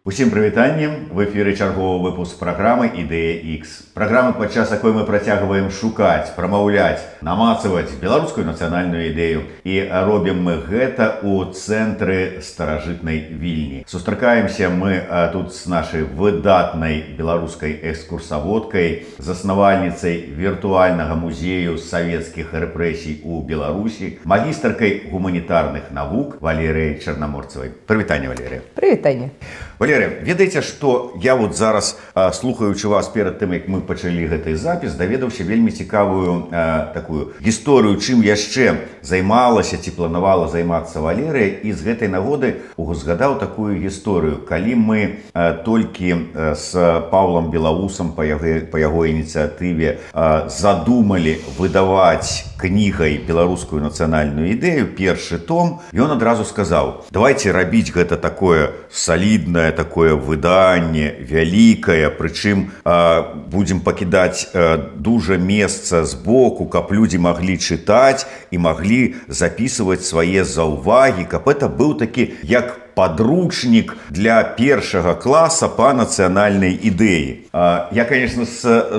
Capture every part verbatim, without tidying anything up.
Усім прывітанне, в эфіры чарговы выпуск праграмы «Ідэя Х». Праграма, падчас якой мы працягваем шукаць, прамаўляць, намацаваць беларускую нацыянальную ідэю. І робім мы гэта ў цэнтры старажытнай Вільні. Сустракаемся мы тут з нашай выдатнай беларускай экскурсаводкай, заснавальніцай віртуальнага музею савецкіх рэпрэсій у Беларусі, магістаркай гуманітарных навук Валерыяй Чарнаморцавай. Прывітанне, Валерыя. Прывітанне. Валерыя, ведаеце, што я вот зараз, слухаючы вас перад тым, як мы пачалі гэты запіс, даведаўся вельмі цікавую а, такую гісторыю, чым яшчэ займалася ці планавала займацца Валерыя, і з гэтай нагоды узгадаў такую гісторыю. Калі мы а, толькі а, з Паўлам Белаусам па яго, па яго ініцыятыве а, задумалі выдаваць кнігай беларускую нацыянальную ідэю, першы том, ён адразу сказаў: давайте рабіць гэта такое саліднае, такое выданне, вялікае, прычым а, будзем пакідаць а, дужа месца збоку, каб людзі маглі чытаць і маглі запісваць свае заўвагі, каб это быў такі як подручнік для першага класа па нацыянальнай ідэі. Я, конечно,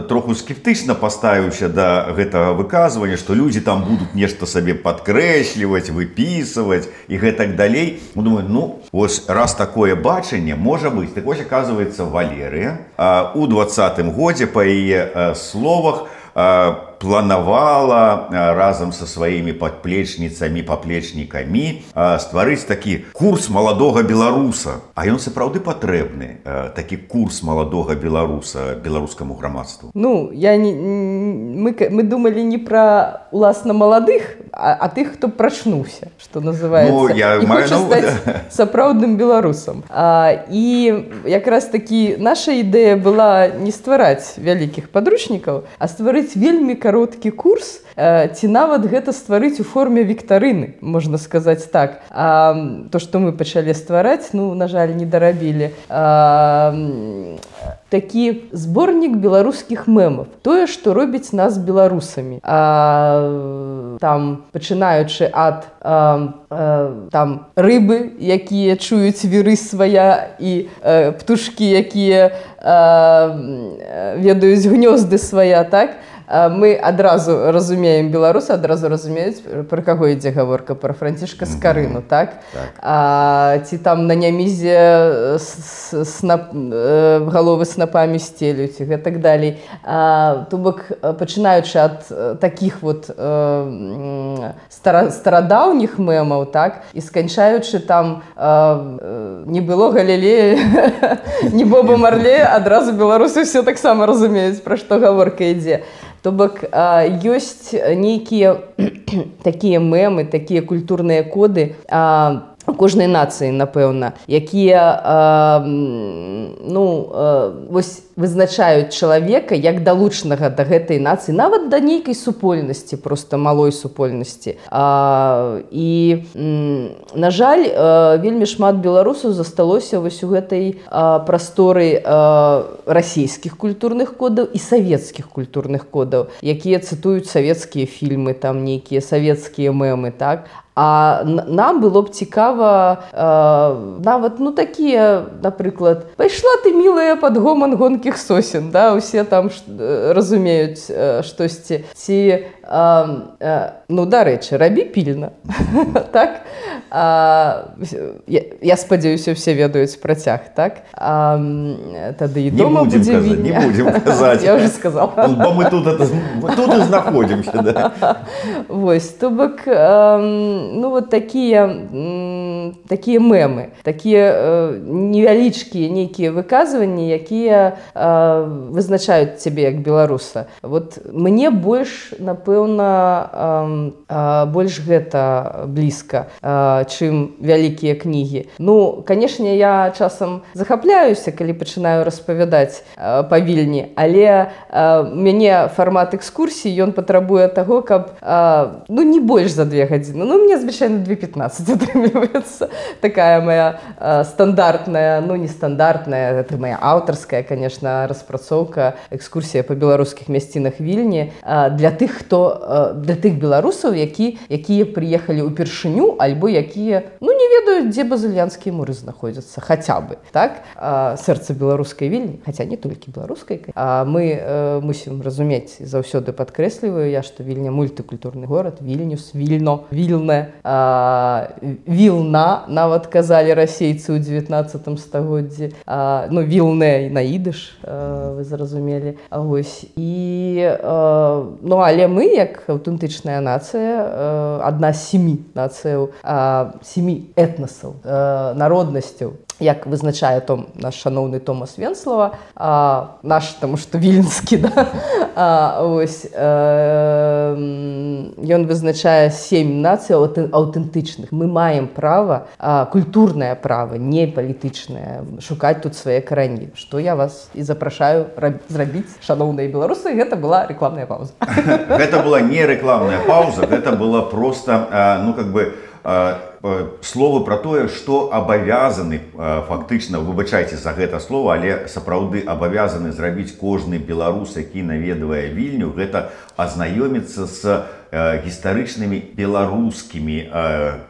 троху скептычна паставіўся да гэтага выказвання, што людзі там будуць нешта сабе падкрэсліваць, выпісваць і гэтак далей. Думаю, ну, вось раз такое бачанне можа быць. Так вось, аказваецца, Валерыя у двадцатым годзе, па яе словах, планавала разам са сваімі падплечніцамі, паплечнікамі стварыць такі курс маладога беларуса. А ён сапраўды патрэбны, такі курс маладога беларуса беларускаму грамадству? Ну, я не, мы, мы думалі не пра уласна маладых, а, а тых, хто прачнуўся, што называецца, ну, я і хоча стаць сапраўдным беларусам. А, і якраз такі наша ідэя была не ствараць вялікіх падручнікаў, а стварыць вельмі кароткі курс, ці нават гэта стварыць у форме віктарыны, можна сказаць так. А, то, што мы пачалі ствараць, ну, на жаль, не дарабілі. А, такі зборнік беларускіх мемаў. Тое, што робіць нас беларусамі. А, там, пачынаючы ад а, а, там, рыбы, якія чуюць віры свая, і а, птушкі, якія а, ведаюць гнёзды свая, так? Мы адразу разумеем беларусы, адразу разумеюць, пра каго ідзе гаворка, пра Францішка Скарыну, так? Так. А, ці там на нямізе снап, галовы снапамі стелюць і гэтак далей. А, то бок, пачынаючы ад такіх вот э, стара, старадаўніх мемаў, так? І сканчаючы там э, не было Галілея, не Боба Марлея, адразу беларусы все таксама разумеюць, пра што гаворка ідзе. То бок, ёсць нейкія такія мемы, такія культурныя коды у кожнай нацыі, напэўна, якія ну, вось вызначаюць чалавека як далучнага да гэтай нацыі, нават да нейкай супольнасці, проста малой супольнасці. А, і, на жаль, вельмі шмат беларусаў засталося вось у гэтай а, прасторы а, расійскіх культурных кодаў і савецкіх культурных кодаў, якія цытуюць савецкія фільмы, там нейкія савецкія мемы, так? А нам было б цікава э, нават, ну, такія, напрыклад, пайшла ты, мілая, пад гоман гонкіх сосен, да, усе там ш, разумеюць э, штосьці. Ці, э, э, ну, дарэчы, рабі пільна, так? А, я, я спадзяюся, усе ведаюць працяг, так? А, тады і дома будзе Вільня. Не будзем казаць. Я ўжо сказала. Бо мы тут, это, тут і знаходзімся, да. Вось, то бок, э, ну, вот такія, такія мемы, такія э, невялічкія нейкія выказванні, якія э, вызначаюць цябе як беларуса. Вот мне больш, напэўна, э, э, больш гэта блізка, э, чым вялікія кнігі. Ну, канешне, я часам захапляюся, калі пачынаю распавядаць э, па Вільні, але э, мяне фармат экскурсій, ён патрабуе таго, каб э, ну, не больш за две гадзіны. Ну, мне звычайна две пятнадцать атрымліваецца. Такая моя э, стандартная, ну не стандартная, это моя аўтарская, конечно, распрацоўка, экскурсія па беларускіх мясцінах Вільні э, для тых, хто э, для тых беларусаў, які, якія прыехалі ўпершыню, альбо якія, ну не ведаюць, дзе базыльянскія муры знаходзяцца, хаця бы, так? Э, сэрца беларускай Вільні, хаця не толькі беларускай. А мы э, мусім разумець, заўсёды падкрэсліваю я, што Вільня мультыкультурны горад, Вільнюс, Вільно, Вільне, а, Вілна, нават казалі расейцы ў дзевятнаццатым стагоддзі, а, ну, Вілне на ідыш, а, вы зразумелі. А вось, і, а, ну, але мы, як аўтэнтычная нацыя, а, адна з сямі нацыяў, а, сямі этнасаў, а, народнасцяў, як вызначае том, наш шаноўны Томас Венслава, а, наш, таму што віленскі, да? А, ось, э, ён вызначае сем нацый аўтэнтычных. Мы маем права, а, культурнае права, не палітычнае, шукаць тут свае карані. Што я вас і запрашаю зрабіць, шаноўныя беларусы, гэта была рэкламная пауза. Гэта была не рэкламная пауза, гэта была просто, ну, как бы, словы про тое, што абавязаны, фактычна, выбачайце за гэта слово, але сапраўды абавязаны зрабіць кожны беларус, які наведвае Вільню, гэта азнаёміцца з гістарычнымі беларускімі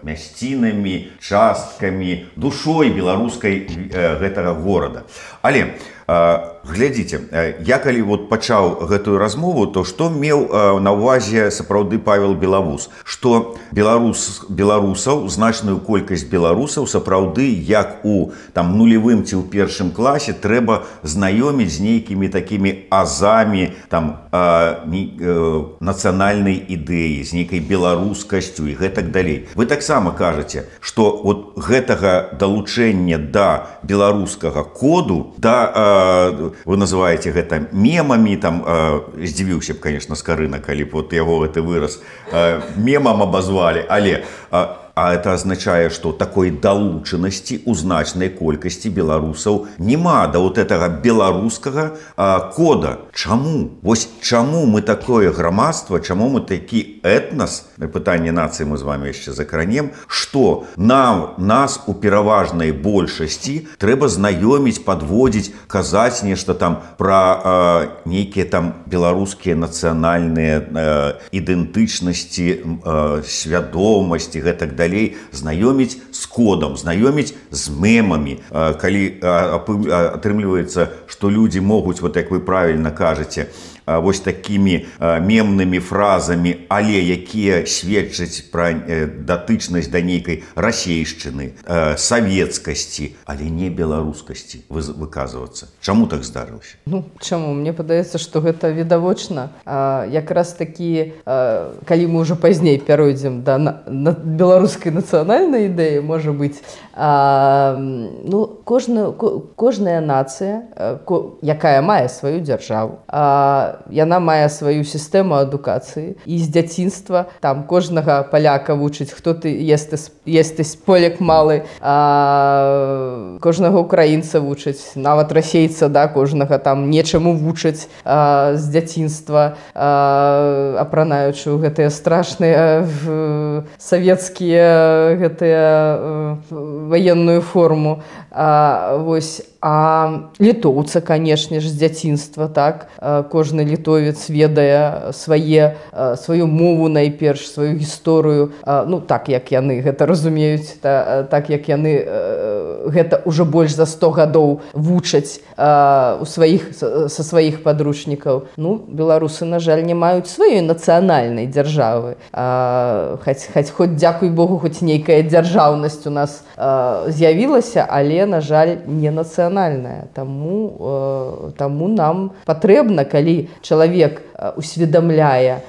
мясцінамі, часткамі, душой беларускай гэтага горада. Але глядзіце, я калі вот пачаў гэтую размову, то што меў на ўвазе сапраўды Павел Белавуз, што беларус, беларусаў, значную колькасць беларусаў сапраўды, як у там нулевым ці ў першым класе, трэба знаёміць з нейкімі такімі азамі там а, не, э, нацыянальнай ідэі, з нейкай беларускасцю і гэтак далей. Вы таксама кажаце, што вот гэтага далучэння да беларускага коду, да, э, вы называеце гэта мемамі, там, э, здзівіўся б, конечно, Скарына, калі б вот яго гэты выраз э, мемам абазвалі, але э, а это азначае, што такой далучанасці ў значнай колькасці беларусаў няма да вот этого беларускага а, кода. Чаму? Вось чаму мы такое грамадства, чаму мы такі этнас, пытанне нацыі мы з вами яшчэ закранем, што нам, нас у пераважнай большасці трэба знаёміць, падводзіць, казаць нешта там пра а, нейкія там беларускія нацыянальныя а, ідэнтычнасці, а, свядомасці, гэтак далей, знаёміць з кодам, знаёміць з мемамі. Калі атрымліваецца, што людзі могуць, вот як вы правільна кажаце, вось такімі мемнымі фразамі, але якія сведчаць пра датычнасць да нейкай расейшчыны, савецкасці, але не беларускасці выказвацца. Чаму так здарылася? Ну, чаму? Мне падаецца, што гэта відавочна. Якраз такі, калі мы ўжо пазней пяройдзем да беларускай нацыянальнай ідэі, можа быць, ну, кожна, кожная нацыя, якая мае сваю дзяржаву, яна мае сваю сістэму адукацыі, і з дзяцінства там кожнага паляка вучыць, хто ты єстесь, єстесь поляк малы, а, кожнага украінца вучыць, нават расейца, да, кожнага там нечаму вучаць а, з дзяцінства, а, апранаючы ў гэтыя страшныя савецкія гэтыя ваенную форму. А, вось, а літоўца, канешне ж, з дзяцінства, так, кожны літовец ведае свае, сваю мову найперш, сваю гісторыю, ну, так, як яны гэта разумеюць, та, так, як яны гэта ўжо больш за сто гадоў вучаць у сваіх, са сваіх падручнікаў. Ну, беларусы, на жаль, не маюць сваёй нацыянальнай дзяржавы. Хоць, хоць, хоць, дзякуй Богу, хоць нейкая дзяржаўнасць у нас з'явілася, але, на жаль, не нацыянальная. Таму, таму нам патрэбна, калі чалавек усведамляе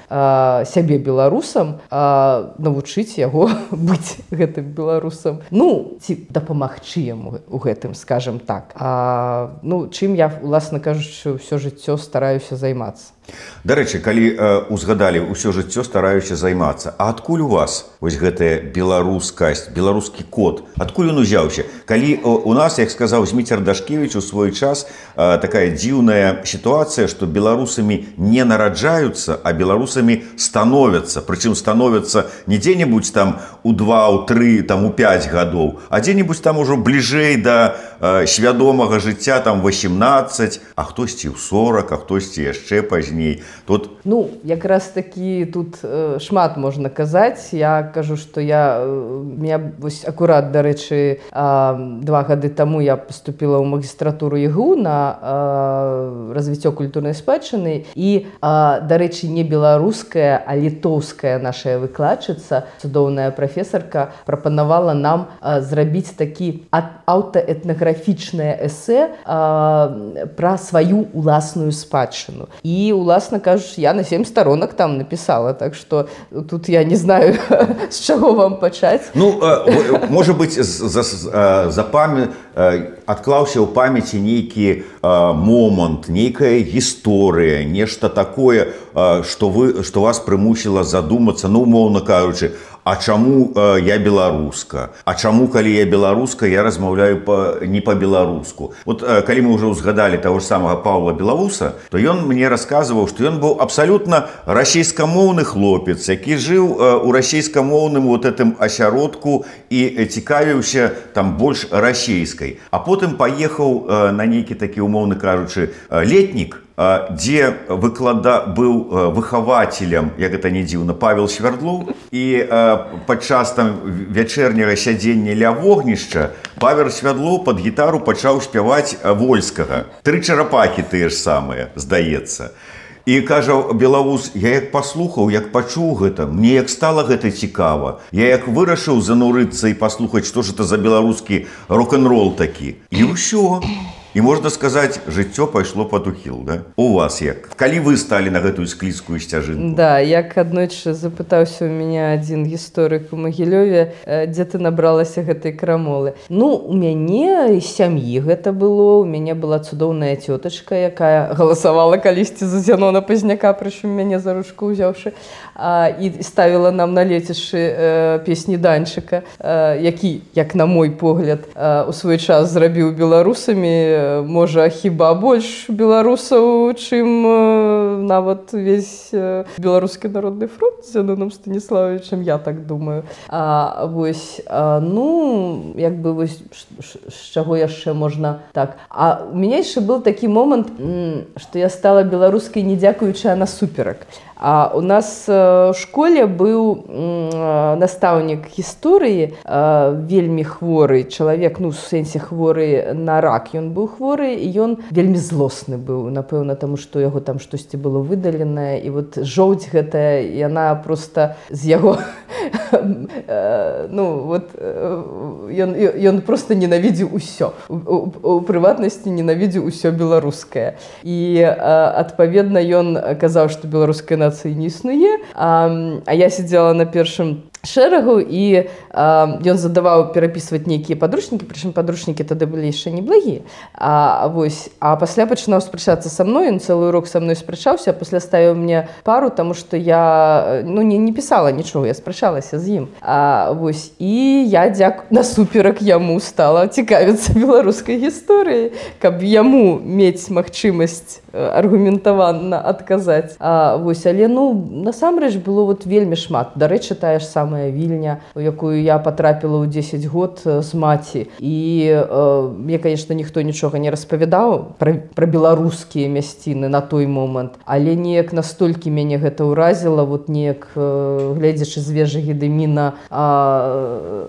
сябе беларусам, навучыць яго быць гэтым беларусам. Ну, ці дапамагчы яму у гэтым, скажем так. А, ну, чым я, уласна кажучы, ўсё жыццё стараюся займацца. Дарэчы, калі э, узгадалі ўсё жыццё стараюся займацца, а адкуль у вас вось гэтая беларускасць, беларускі код? Адкуль ён узяўся? Калі э, у нас, як сказаў Зміцер Дашкевіч у свой час, э, такая дзіўная сітуацыя, што беларус беларусамі не нараджаюцца, а беларусамі становяцца. Прычым становяцца не дзе-небудзь там у два, у тры, там у пяць гадоў, а дзе-небудзь там ужо бліжэй да э, свядомага жыцця там восемнадцаць, а хтосьці ў сорок, а хтосьці яшчэ пазней. Тут... Ну, якраз такі тут э, шмат можна казаць. Я кажу, што я, э, меня вось акурат, дарэчы, э, два гады таму я поступила ў магістратуру ЕГУ на э, развіццё культурнай спадчыны, і, э, дарэчы, не беларуская, а літоўская наша выкладчыца, цудоўная прафесарка, прапанавала нам э, зрабіць такі аўтаэтнаграфічнае эсэ э, пра сваю уласную спадчыну. І, уласна кажучы, я на сем сторонок там написала, так что тут я не знаю, с чего вам пачаць. Ну, э, может быть, за, за память, э, адклаўся ў памяці нейкі э, момант, нейкая гісторыя, нешта такое, э, што вы, што вас прымусіла задумацца, ну, умоўна кажучы, а чаму э, я беларуска? А чаму, калі я беларуска, я размаўляю па, не па-беларуску? Вот э, калі мы ўжо ўзгадалі таго ж самага Паўла Белавуса, то ён мне расказваў, што ён быў абсалютна расійскамоўны хлопец, які жыў э, у расійскамоўным вот гэтым асяродку і цікавіўся там больш расійскай. А потым паехаў э, на нейкі такі, умоўна кажучы, э, летнік, дзе выклада быў выхавацелем, як гэта не дзіўна, Павел Свярдлоў, і падчас там вячэрняга сядзення ля вогнішча Павел Свярдлоў пад гітару пачаў спяваць Вольскага. Тры чарапахі тыя ж самыя, здаецца. І кажа Белавус, я як паслухаў, як пачуў гэта, мне як стала гэта цікава. Я як вырашыў занурыцца і паслухаць, што ж это за беларускі рок-н-рол такі. І ўсё. І можна сказаць, жыццё пайшло пад ухіл, да? У вас як? Калі вы сталі на гэтую склізкую сцяжынку? Да, як аднойчы запытаўся ў мяне адзін гісторык у Магілёве, дзе ты набралася гэтай крамолы. Ну, у мяне і сям'і гэта было, у мяне была цудоўная цётачка, якая галасавала калісьці за Зянона Пазняка, прычым мяне за ручку ўзяўшы, і ставіла нам на лецішчы песні Данчыка, які, як на мой погляд, у свой час зрабіў беларусамі, можа, хіба больш беларусаў, чым нават весь беларускі народны фронт з Зяноном Станіславовичем, я так думаю. А, вось, а, ну, як бы, вось, з чаго яшчэ можна так. А у мяне яшчэ быў такі момант, што я стала беларускай не дзякуючы, а насуперак. А у нас в школе быў настаўнік гісторыі, вельмі хворы чалавек, ну, в сэнсе хворы на рак. Ён быў хворы, і ён вельмі злосны быў, напэўна, таму што яго там штосьці было выдаленае, і вот жоўць гэтая, яна проста з яго, ну, вот, ён, ён проста ненавідзеў усё. У, у прыватнасці ненавідзеў усё беларускае. І, адпаведна, ён казаў, што беларуская нацыя не існуе, а, а я сидела на першым шэрагу, і а, ён задаваў перапісваць нейкія падручнікі, прычым падручнікі тады былі яшчэ не благія. А, вось, а пасля пачынаў спрачацца са мной, ён цэлы урок са мной спрачаўся, а пасля ставіў мне пару, таму што я ну, не, не пісала нічога, я спрачалася з ім. А, вось, і я дзяк насуперак яму стала цікавіцца беларускай гісторыяй, каб яму мець магчымасць аргументавана адказаць. А, вось, але ну, насамрэч было вот вельмі шмат. Дарэчы, тая ж самая Вільня, у якую я патрапіла ў дзесяць год з маці. І э, мне, конечно, ніхто нічога не распавядаў пра, пра беларускія мясціны на той момант, але неяк настолькі мяне гэта ўразіла, вот неяк э, гледзячы з вежы Гедыміна э,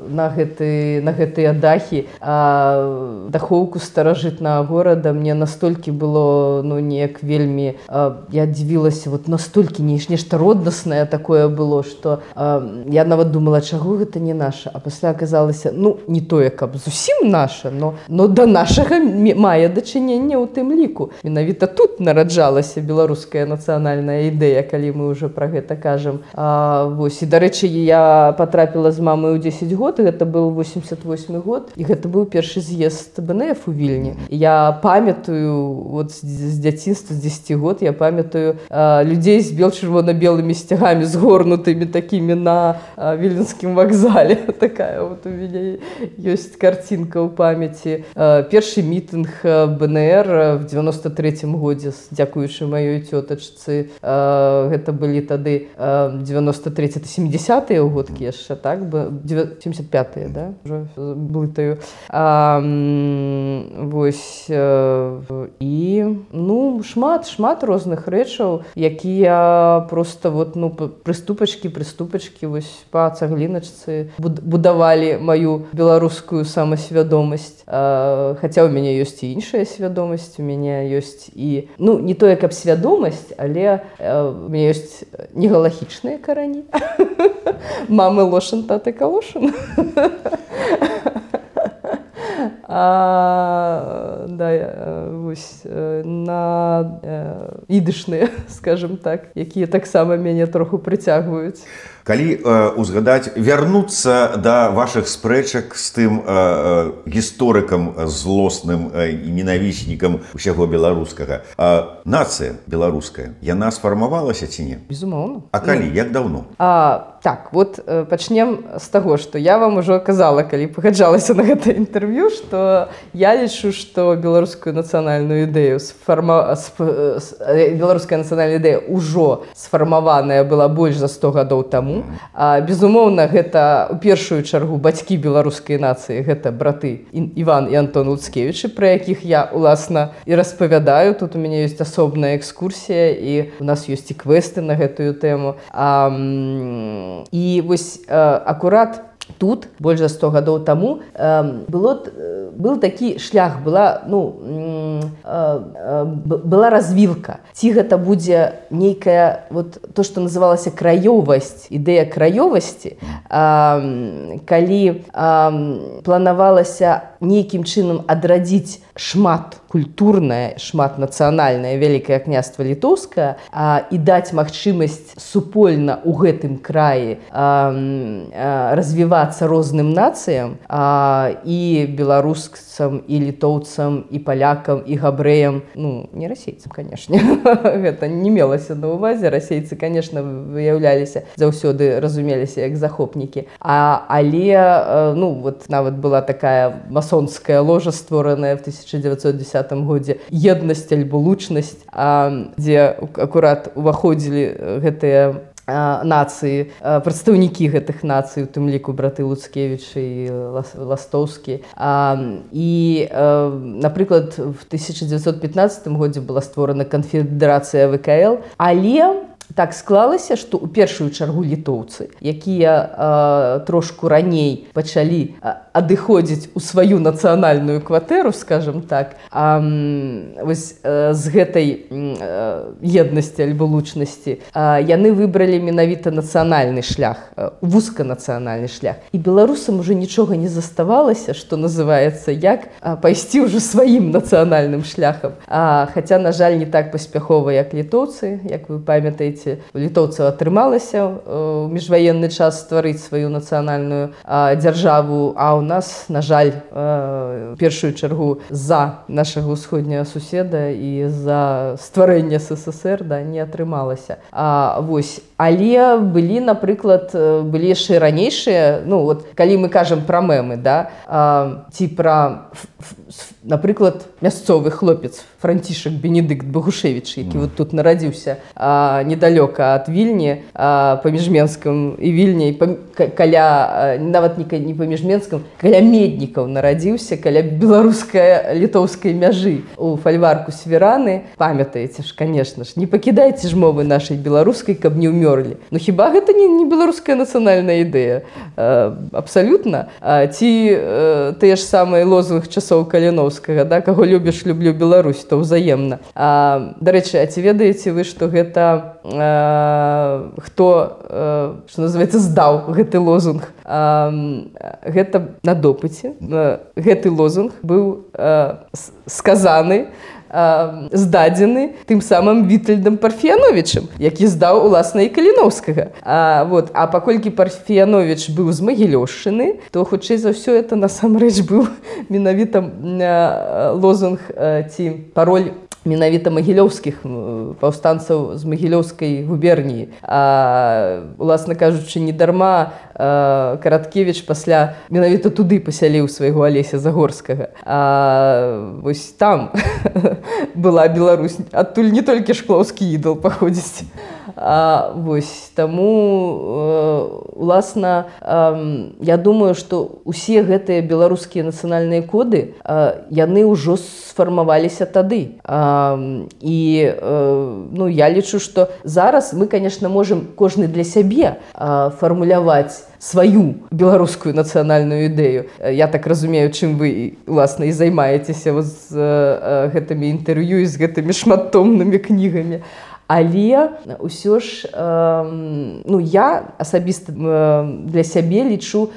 на, гэты, на гэтыя дахі, э, дахоўку старажытнага горада, мне настолькі было, ну, неяк вельмі, э, я дзівілася, вот настолькі нешта роднаснае такое было, што э, я нават думала, чаго гэта не наша, а пасля аказалася, ну, не тое, каб зусім наша, но, но да нашага мае дачыненне ў тым ліку. Менавіта тут нараджалася беларуская нацыянальная ідэя, калі мы ўжо пра гэта кажам. А, вось, і, дарэчы, я патрапіла з мамай у дзесяць год, гэта быў восемьдесят восьмы год, і гэта быў першы з'езд бэ эн эф у Вільні. Я памятаю, вот з дзяцінства, з дзесяці год, я памятаю а, людзей з бел-чырвона-белымі сцягамі, згорнутымі такімі на Віленскім вакзале. Такая вот у меня есть картинка ў памяці. Першы мітынг бэ эн эр в девяносто третьем годзе, дзякуючы маёй цётачцы. Гэта былі тады девяносто третий семидесятые годкі яшчэ, так? семьдесят пятые, да? Уже блытаю. Вось. І, ну, шмат, шмат розных рэчаў, якія просто вот, ну, прыступачкі, прыступачкі, вось, па цагліначцы будавалі маю беларускую самасвядомасць. Хаця ў мяне ёсць і іншая свядомасць, у мяне ёсць і, ну, не тое, каб свядомасць, але у мяне ёсць негалагічныя карані. Мамы Лошын, таты Калошын. А, да, вось, на ідышныя, скажем так, якія таксама мяне троху прыцягваюць. Калі э, узгадаць, вярнуцца да вашых спрэчак з тым э, э, гісторыкам злосным э, і ненавіснікам усяго беларускага, э, нацыя беларуская, яна сфармавалася ці не? Безумоўна. А калі, як даўно? А, так, вот э, пачнем з таго, што я вам ужо казала, калі пагаджалася на гэта інтэрв'ю, што я лічу, што беларускую нацыянальную ідэю сфарма... беларуская нацыянальная ідэя ўжо сфармаваная была больш за сто гадоў таму. А, безумоўна, гэта ў першую чаргу бацькі беларускай нацыі, гэта браты Іван і Антон Луцкевічы, пра якіх я, уласна, і распавядаю. Тут у мяне ёсць асобная экскурсія, і у нас ёсць і квесты на гэтую тэму. А, і вось а, акурат тут, больш за сто гадоў таму, э, было, был такі шлях, была, ну, э, э, была развілка. Ці гэта будзе нейкая, вот, то, што называлася краёвасць, ідэя краёвасці, э, калі э, планавалася нейкім чынам адрадзіць шмат культурнае, шмат нацыянальнае Вялікае княства Літоўскае а, і даць магчымасць супольна ў гэтым краі а, а, развівацца розным нацыям а, і беларускам, і літоўцам, і палякам, і габрэям, ну, не расейцам, канешне. Гэта не мелася на ўвазе. Расейцы, канешне, выяўляліся, заўсёды разумеліся як захопнікі. А, але, ну, вот нават была такая масонская ложа, створаная в тысяча девятьсот десятом годзе, еднасць альбо лучнасць, дзе акурат уваходзілі гэтыя нацыі, прадстаўнікі гэтых нацый, у тым ліку браты Луцкевічы і Ластоўскі. І, напрыклад, в тысяча девятьсот пятнадцатом годзе была створана канфедэрацыя вэ ка эл, але так склалася, што ў першую чаргу літоўцы, якія э, трошку раней пачалі э, адыходзіць у сваю нацыянальную кватэру, скажем так, э, вось, э, з гэтай э, еднасці альбо лучнасці, э, яны выбралі менавіта нацыянальны шлях, э, вузканацыянальны шлях. І беларусам уже нічога не заставалася, што называецца, як э, пайсці ўжо сваім нацыянальным шляхам. А, хаця, на жаль, не так паспяхова, як літоўцы, як вы памятаеце, літоўцаў атрымалася ў міжваенны час стварыць сваю нацыянальную а, дзяржаву, а ў нас, на жаль, а, першую чаргу з-за нашага ўсходняга суседа і з-за стварэння эс эс эс эр, да, не атрымалася. А, вось. Але былі, напрыклад, былі яшчэ ранейшыя, ну, вот, калі мы кажам пра мемы, да, а, ці пра, напрыклад, мясцовы хлопец Францішак Бенедыкт Багушевіч, які вот тут нарадзіўся а, недалёка ад Вільні, а, паміж Менскам і Вільняй, пам, каля, нават не, не паміж Менскам, каля Меднікаў нарадзіўся, каля беларуска-літоўскай мяжы у фальварку Свіраны. Памятаеце ж, конечно ж, не пакідайце ж мовы нашай беларускай, каб не ўмёрлі. Ну хіба гэта не, не беларуская нацыянальная ідэя? А, абсалютна. А, ці а, тыя ж самыя лозунг часоў Каліноўскага, да, каго любіш, люблю Беларусь, то ўзаемна. А, дарэчы, а ці ведаеце вы, што гэта а, хто, а, што называецца, здаў гэты лозунг? А, гэта на допыце. А, гэты лозунг быў а, сказаны, здадзены тым самым Вітальдам Парфіяновічам, які здаў, уласна, і Каліноўскага. А, вот, а паколькі Парфіяновіч быў з Магілёўшчыны, то, хутчэй за ўсё, это насамрэч быў менавіта лозунг ці пароль менавіта магілёўскіх паўстанцаў з магілёўскай губерніі. А, уласна кажучы, не дарма а, Караткевіч пасля менавіта туды пасяліў свайго Алеся Загорскага. А вось там была Беларусь, адтуль не толькі шклоўскі ідал паходзіць. А, вось, таму, уласна, я думаю, што усе гэтыя беларускія нацыянальныя коды, яны ўжо сфармаваліся тады. А, і ну, я лічу, што зараз мы, конечно, можем кожны для сябе фармуляваць сваю беларускую нацыянальную ідэю. Я так разумею, чым вы, уласна, і займаецеся з гэтымі інтэрв'ю і з гэтымі шматтомнымі кнігамі. Але ўсё ж, ну, я асабіста для сябе лічу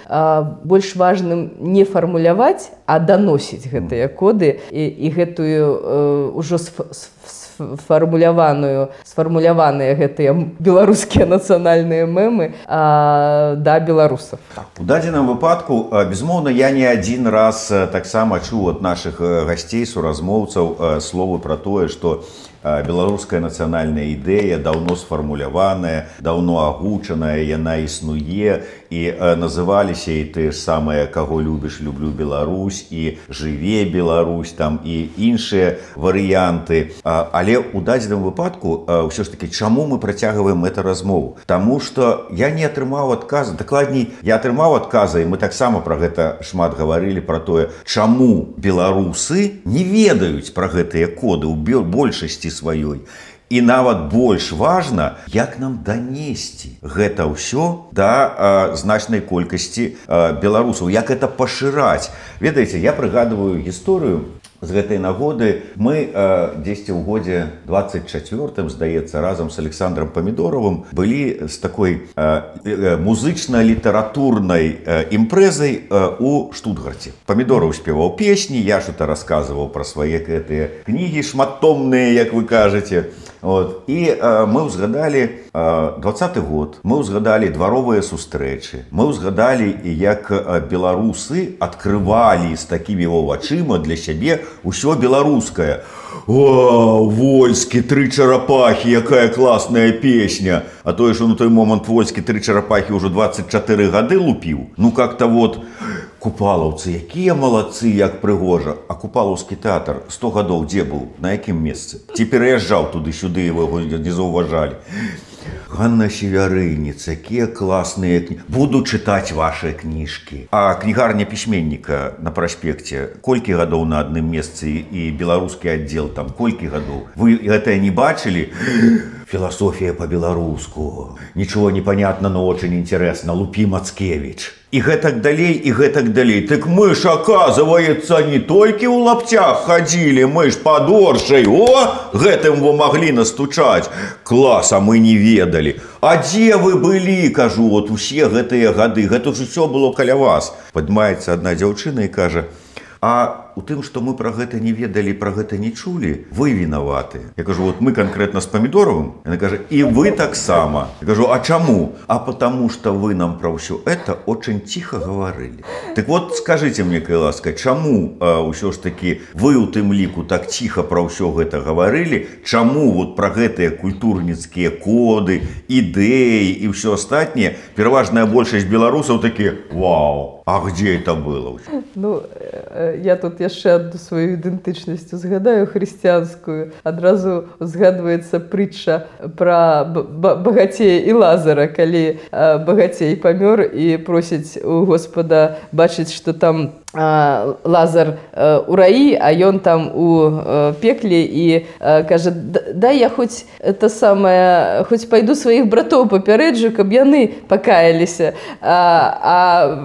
больш важным не фармуляваць, а даносіць гэтыя коды і, і гэтую ўжо сфармуляваную, сфармуляваныя гэтыя беларускія нацыянальныя мемы да беларусаў. У дадзеным выпадку, безумоўна, я не адзін раз таксама чуў ад нашых гасцей, суразмоўцаў словы пра тое, што беларуская нацыянальная ідэя даўно сфармуляваная, даўно агучаная, яна існуе, і называліся і тыя ж самыя «Каго любіш, люблю Беларусь», і «Жыве Беларусь», там і іншыя варыянты. Але ў дадзеным выпадку ўсё ж такі, чаму мы працягваем эту размову? Таму што я не атрымаў адказа, дакладней, я атрымаў адказа, і мы таксама пра гэта шмат гаварылі, пра тое, чаму беларусы не ведаюць пра гэтыя коды ў большасці сваёй. І нават больш важна, як нам данесці гэта ўсё да а, значнай колькасці а, беларусаў, як это пашыраць. Ведаеце, я прыгадываю гісторыю з гэтай нагоды. Мы а, дзесьці ў годзе двадцать чацвёртым, здаецца, разам з Александром Памідоровым былі з такой а, музычна-літаратурнай а, імпрэзай а, у Штутгарце. Памідоров спеваў песні, я что-то расказваў пра свае гэтыя кнігі шматтомныя, як вы кажаце. Вот. І э, мы ўзгадалі э, двадцаты год, мы ўзгадалі дваровыя сустрэчы, мы ўзгадалі, як э, беларусы адкрывалі з такімі вачыма для сябе ўсё беларускае. О, Вольскі, тры чарапахі, якая класная песня. А тое, што на той момант Вольскі тры чарапахі ўжо двадцать чатыры гады лупіў. Ну как-то вот, купалаўцы, якія малацы, як прыгожа. А купалаўскі тэатр сто гадоў дзе быў? На якім месцы? Ці пераязджаў туды-сюды, его не заўважалі. Ганна Севярыніц, якія класныя кнігі. Буду чытаць вашыя кніжкі. А кнігарня пісьменніка на праспекце, колькі гадоў на адным месцы, і беларускі аддзел там, колькі гадоў? Вы гэтае не бачылі? Философия по-белоруску. Ничего не понятно, но очень интересно. Лупи Мацкевич. И гэтак далей, и гэтак далей. Так мы ж, оказывается, не только у лаптях ходили, мы ж под Оршей. О, гэтым вы могли настучать. Класс, а мы не ведали. А где вы были, кажу, вот усе гэтыя гады. Гэта ж все было каля вас. Падмаецца одна дзяўчына и кажа: а у тым, што мы пра гэта не ведалі, пра гэта не чулі, вы вінаваты. Я кажу, вот мы конкретно с Памидоровым. Она кажа, и вы таксама. Я кажу, а чаму? А потому что вы нам про все это очень тихо говорили. Так вот, скажите мне, кай ласка, чаму а, ўсё ж таки вы у тым ліку так тихо про все гэта говорили? Чаму вот про гэтыя культурніцкія коды, ідэі і все астатняе пераважная большасць беларусаў такія: вау, а где это было? Ну, я тут яшчэ адну сваю ідэнтычнасць згадаю хрысціянскую. Адразу згадваецца прытча пра багацея і Лазара, калі багацей памёр і просіць у Господа бачыць, што там Лазар у раі, а ён там у пекле, і кажа: дай я хоць это самае, хоць пайду сваіх братоў папярэджу, каб яны пакаяліся. А, а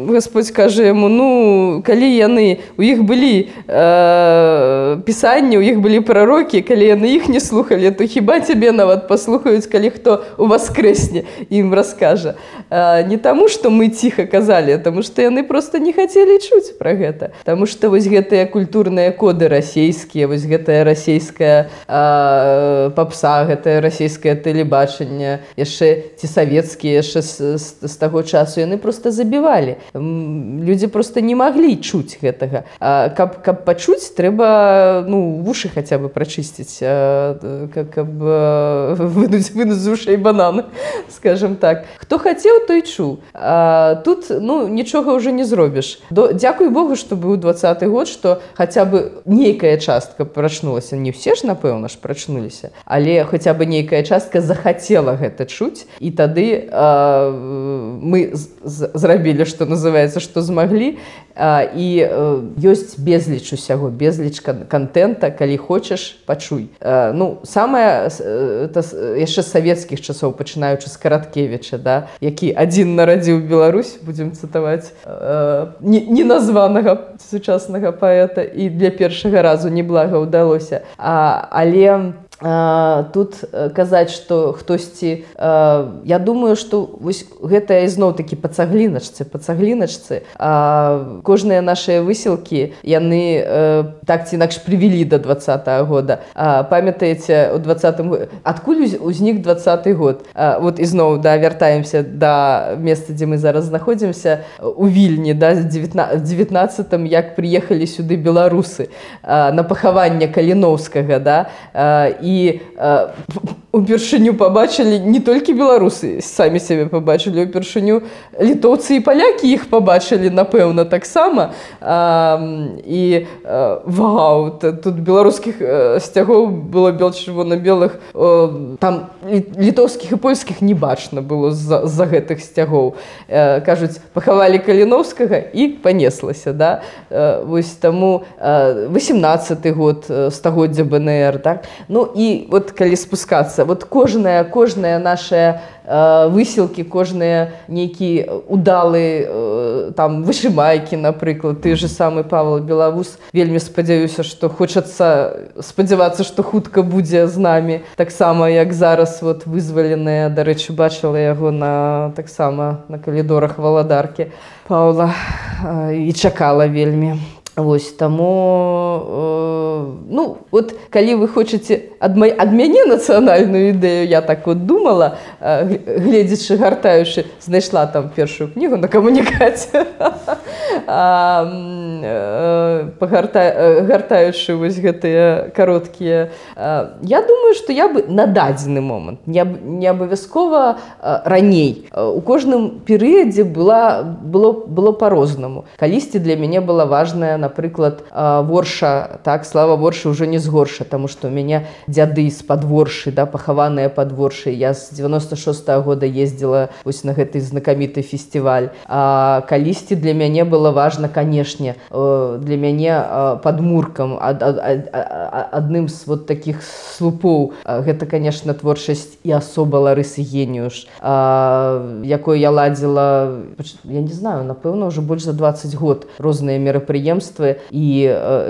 Господь кажа яму: ну, калі яны, у іх былі э, пісанні, у іх былі прарокі, калі яны іх не слухалі, то хіба цябе нават паслухаюць, калі хто у васкрэсне ім раскажа. Э, не таму, што мы ціха казалі, а таму, што яны проста не хацелі чуць пра гэта. Таму што вось гэтыя культурныя коды расейскія, вось гэтая расейская э, папса, гэтае расейскае тэлебачанне, яшчэ ці савецкія яшчэ з, з, з таго часу, яны проста забівалі. Людзі проста не маглі чуць гэтага. А каб, каб пачуць, трэба бы, ну, вуши хотя бы прочистить, как, как бы вынуть, вынуть з ушей бананы, скажем так. Хто хацеў, той чуў. А, тут, ну, нічога ўжо не зробіш. До, дзякуй Богу, што быў двадцаты год, што хаця бы нейкая частка прачнулася. Не ўсе ж, напэўна ж, прачнуліся, але хаця бы нейкая частка захацела гэта чуць, і тады а, мы з, з, зрабілі, што называецца, што змаглі, а, і а, ёсць безліч усяго, безліч контента, калі хочаш, пачуй. А, ну, самае, это яшчэ з савецкіх часоў, пачынаючы з Караткевіча, да, які адзін нарадзіў Беларусь, будзем цытаваць, а, неназванага сучаснага паэта, і для першага разу неблага ўдалося. А, але Uh, тут uh, казаць, што хтосьці, uh, я думаю, што вось гэта ізноў-такі па цагліначцы, па цагліначцы. Uh, кожныя нашыя высілкі, яны uh, так ці інакш прывялі да двадцатага года. Uh, памятаеце, у двадцатым годзе, адкуль узнік двадцаты год? Uh, вот ізноў, да, вяртаемся да месца, дзе мы зараз знаходзімся, у Вільні, да, дзевятнаццатым, як прыехалі сюды беларусы uh, на пахаванне Каліноўскага, да, uh, і І э, упершыню пабачылі не толькі беларусы, самі сябе пабачылі, упершыню літоўцы і палякі іх пабачылі, напэўна, таксама. Э, і э, вау, тут беларускіх э, сцягоў было бел-чырвона-белых, э, там літоўскіх і польскіх не бачна было з-за, з-за гэтых сцягоў. Э, кажуць, пахавалі Каліноўскага і панеслася, да? Э, вось таму э, васемнаццаты год, стагоддзя бэ эн ер, так? Ну, і вот калі спускацца, вот кожная, кожная наша э, высілкі, кожныя нейкі удалы э, там вышымайкі, напрыклад, ты же самы Павел Белавус, вельмі спадзяюся, што хочацца спадзявацца, што хутка будзе з намі, таксама як зараз вот вызваленыя, дарэчы, бачыла яго на таксама на калідорах Валадаркі Паўла э, і чакала вельмі. Вось, таму, э, ну, вот, калі вы хочаце ад, май, ад мяне нацыянальную ідэю, я так вот думала, э, гледзячы, гартаючы, знайшла там першую кнігу на камунікаце, а, э, пагарта, э, гартаючы вось гэтыя кароткія. Э, я думаю, што я бы на дадзены момант, не, не абавязкова э, раней, э, у кожным перыядзе была, было, было па-рознаму. Калісьці для мяне была важная, напрыклад, Ворша, так, слава Воршы ўжо не з Горша, таму што ў мяне дзяды з-пад Воршы, да, пахаваныя пад Воршай. Я з дзевяноста шостага года ездзіла вось на гэты знакаміты фестываль. А калісьці для мяне было важна, канешне, для мяне падмуркам, ад, ад, ад, адным з вот такіх слупоў. Гэта, канешне, творчасць і асоба Ларысы Геніуш, якой я ладзіла, я не знаю, напэўна, ўжо больш за дваццаць год розныя мерапрыемствы і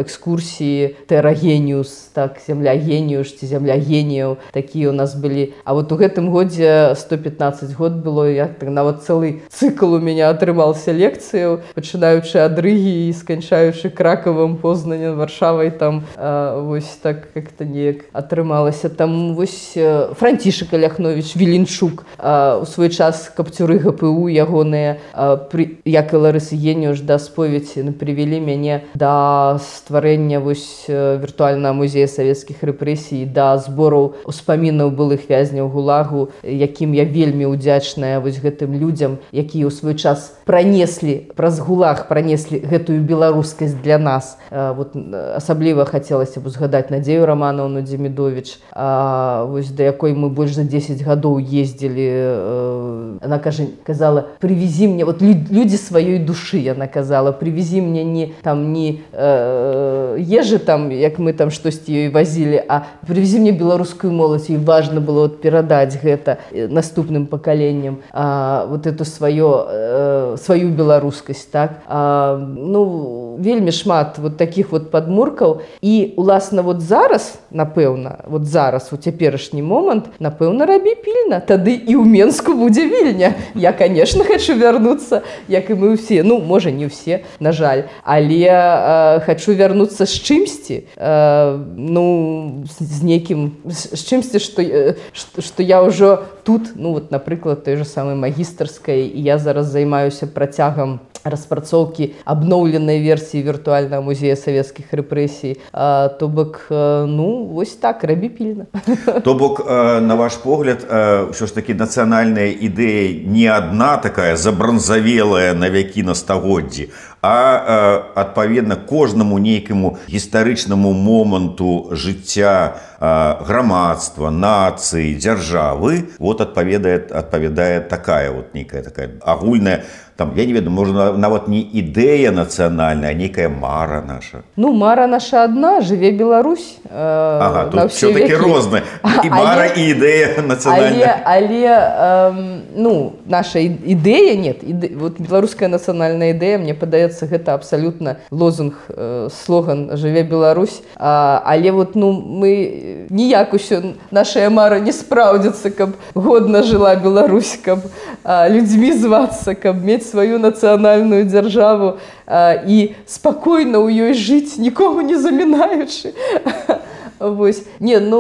экскурсіі Тэра Геніус, так, зямля Геніуш ці зямля геніяў, такія у нас былі. А вот у гэтым годзе сто пятнаццаць год было, я так нават цэлы цыкл у мяне атрымаўся лекцыяў, пачынаючы ад Рыгі і сканчаючы Кракавам, Познанем, Варшавай, там а, вось так як-то неяк атрымалася. Там вось Францішак Аляхновіч, Віленчук, а, у свой час капцюры гэ пэ у ягоныя, а, пры, як і Ларысы Геніуш, да споведзі прывялі мяне да стварэння вось віртуальнага музея савецкіх рэпрэсій, да збораў успамінаў былых вязняў гулагу, якім я вельмі ўдзячная вось гэтым людзям, якія ў свой час пранеслі, праз гулаг пранеслі гэтую беларускасць для нас. Вот, асабліва хацелася б узгадаць Надзею Раманаўну Дземідовіч, вось да якой мы больш за дзесяць гадоў ездзілі. Она кажа, казала, прывезі мне, вот людзі сваёй душы, яна казала, прывезі мне не там не э, ежы там, як мы там штосьці ёй вазілі, а прывезі мне беларускую моладзь, і важна было вот перадаць гэта наступным пакаленням, а, вот эту сваё, э, сваю беларускасць, так. А, ну, вельмі шмат вот таких вот падмуркаў, і уласна вот зараз, напэўна, вот зараз у цяперашні момант, напэўна, рабі пільна, тады і ў Менску будзе Вільня. Я, конечно, хочу вярнуцца, як і мы ўсе, ну, можа, не ўсе, на жаль, але э, хочу вярнуцца з чымсьці, э, ну, з нейкім, з чымсьці, што, э, што я ўжо тут, ну, вот, напрыклад, той же самой магістарскай, і я зараз займаюся працягам распрацоўкі абноўленай версіі віртуальнага музея савецкіх рэпрэсій. То бок, ну, вось так, рабі пільна. То бок, на ваш погляд, ўсё ж такі нацыянальная ідэя не адна такая забранзавелая на вякі, на стагоддзі, а адпаведна кожнаму нейкаму гістарычнаму моманту жыцця грамадства, нацыі, дзяржавы, вот адпавядае, адпавядае такая вот нейкая такая агульная, там, я не ведаю, можа, нават не ідэя нацыянальная, а нейкая мара наша. Ну, мара наша адна, жыве Беларусь. Э, ага, тут все-таки рознае. І мара, і ідэя нацыянальная. Але, але э, ну, наша ідэя, нет, іде, вот беларуская нацыянальная ідэя, мне падаецца, гэта абсалютна лозунг, э, слоган «Жыве Беларусь». А, але вот, ну, мы ніяк усё, нашая мара не спраўдзіцца, каб годна жыла Беларусь, каб а, людзьмі звацца, каб мець сваю нацыянальную дзяржаву а, і спакойна ў ёй жыць, нікому не замінаючы. Вось. Не, ну,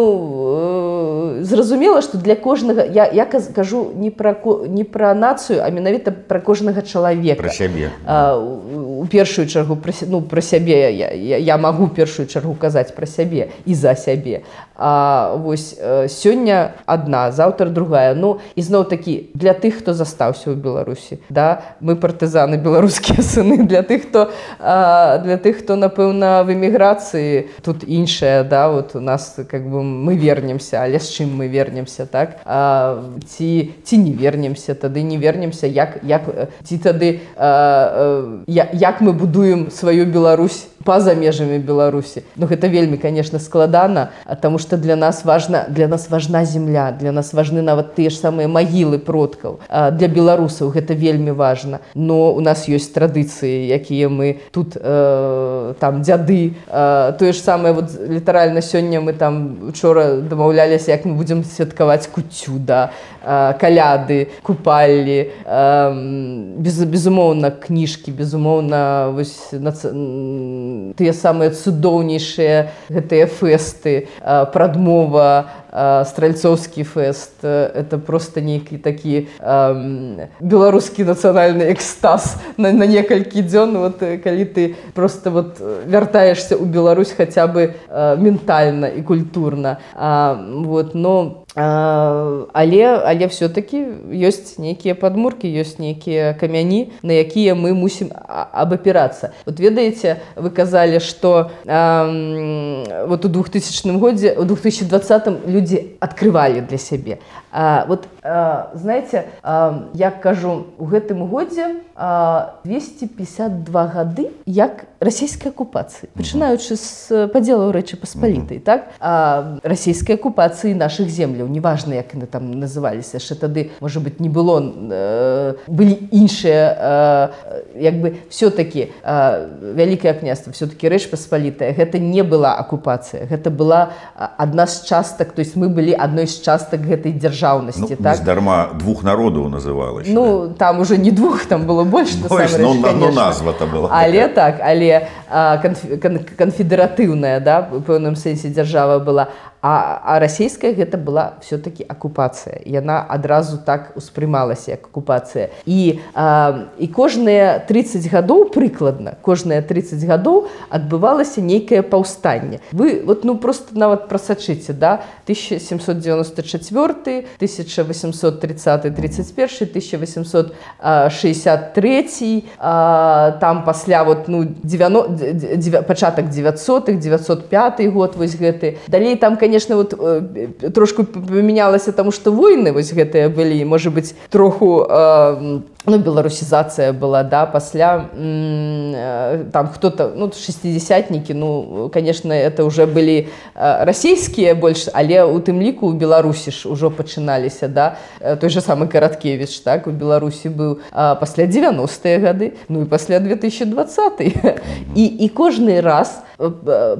э, зразумела, што для кожнага, я, я кажу не пра, не пра нацыю, а менавіта пра кожнага чалавека. Пра сябе. А, у, у першую чаргу, пра, ну, пра сябе, я, я, я магу першую чаргу казаць пра сябе і за сябе. А вось сёння адна, заўтра другая. Ну, ізноў такі, для тых, хто застаўся ў Беларусі, да, мы партызаны, беларускія сыны, для тых, хто, а, для тых, хто, напэўна, в эміграцыі, тут іншая, да, вот у нас, как бы, мы вернемся, але з чым мы вернемся, так? А, ці, ці не вернемся, тады не вернемся, як, як, ці тады, а, а, як мы будуем сваю Беларусь па-за межамі Беларусі. Ну, гэта вельмі, конечно, складана, таму што для нас важна, для нас важна земля, для нас важны нават тыя ж самыя магілы продкаў. Для беларусаў гэта вельмі важна. Но у нас ёсць традыцыі, якія мы тут, э, там, дзяды. Э, тое ж самае, вот, літаральна сёння мы там учора дамаўляліся, як мы будзем святкаваць куццю, да, э, каляды, купаллі, э, без, безумоўна, кніжкі, безумоўна, вось, нац... тыя самыя цудоўнейшыя гэтыя фэсты, прадмова, стральцоўскі фэст, это просто нейкі такі э, беларускі нацыянальны экстаз на, на некалькі дзён, вот, калі ты просто вот вяртаешься ў Беларусь хаця бы э, ментальна і культурна. А, вот, но А, але, але все-таки ёсць нейкія падмуркі, ёсць нейкія камяні, на якія мы мусім абапірацца. Вот ведаеце, вы казалі, што э, вот у двухтысячным годзе, у две тысячи двадцатым людзі адкрывалі для сябе. А, вот, э, знаете, э, я кажу, у гэтым годзе э, двести пятьдесят два гады як расійскай акупацыі, пачынаючы з падзелаў Рэчы Паспалітай, так? А, расійскай акупацыі нашых земляў, неважна, як яны там называліся, яшчэ тады, можа быць, не было, э, былі іншыя, э, як бы, все-таки э, Вялікае княства, все-таки Рэч Паспалітая, гэта не была акупацыя, гэта была адна з частак, то есть мы былі адной з частак гэтай дзяржаўнасці, ну, так? Нездарма двух народаў называлася. Ну, да? Там уже не двух, там было больш, больш, ну, ну, назва-то была. Але так, але канфедэратыўная, да, у пэўным сэнсе дзяржава была. А, а расійская гэта была все-таки акупацыя. Яна адразу так успрымалася як акупацыя. І, а, і кожныя тридцать гадоў прыкладна, кожныя тридцать гадоў адбывалася нейкае паўстанне. Вы вот, ну, просто нават прасачыце, да, тысяча семьсот девяносто четвёртый, тысяча восемьсот тридцатый тридцать первый, тысяча восемьсот шестьдесят третий, а, там пасля вот, ну, девяносто, девяносто, пачатак девятьсотых, девятьсот пятый год, вось гэты. Далей там, конечно, Конечно, вот э, трошку памянялася, таму што войны вось гэтыя былі, можа быць, троху э, ну, беларусізацыя была, да, пасля э, там хто-то, ну, шестидесятнікі, ну, конечно, это уже былі э, расійскія больш, але у тым ліку у Беларусі ж ужо пачыналіся, да, той же самы Караткевіч, так, у Беларусі быў э, пасля девяностыя гады, ну і пасля две тысячи двадцатый. І, і кожны раз э, э,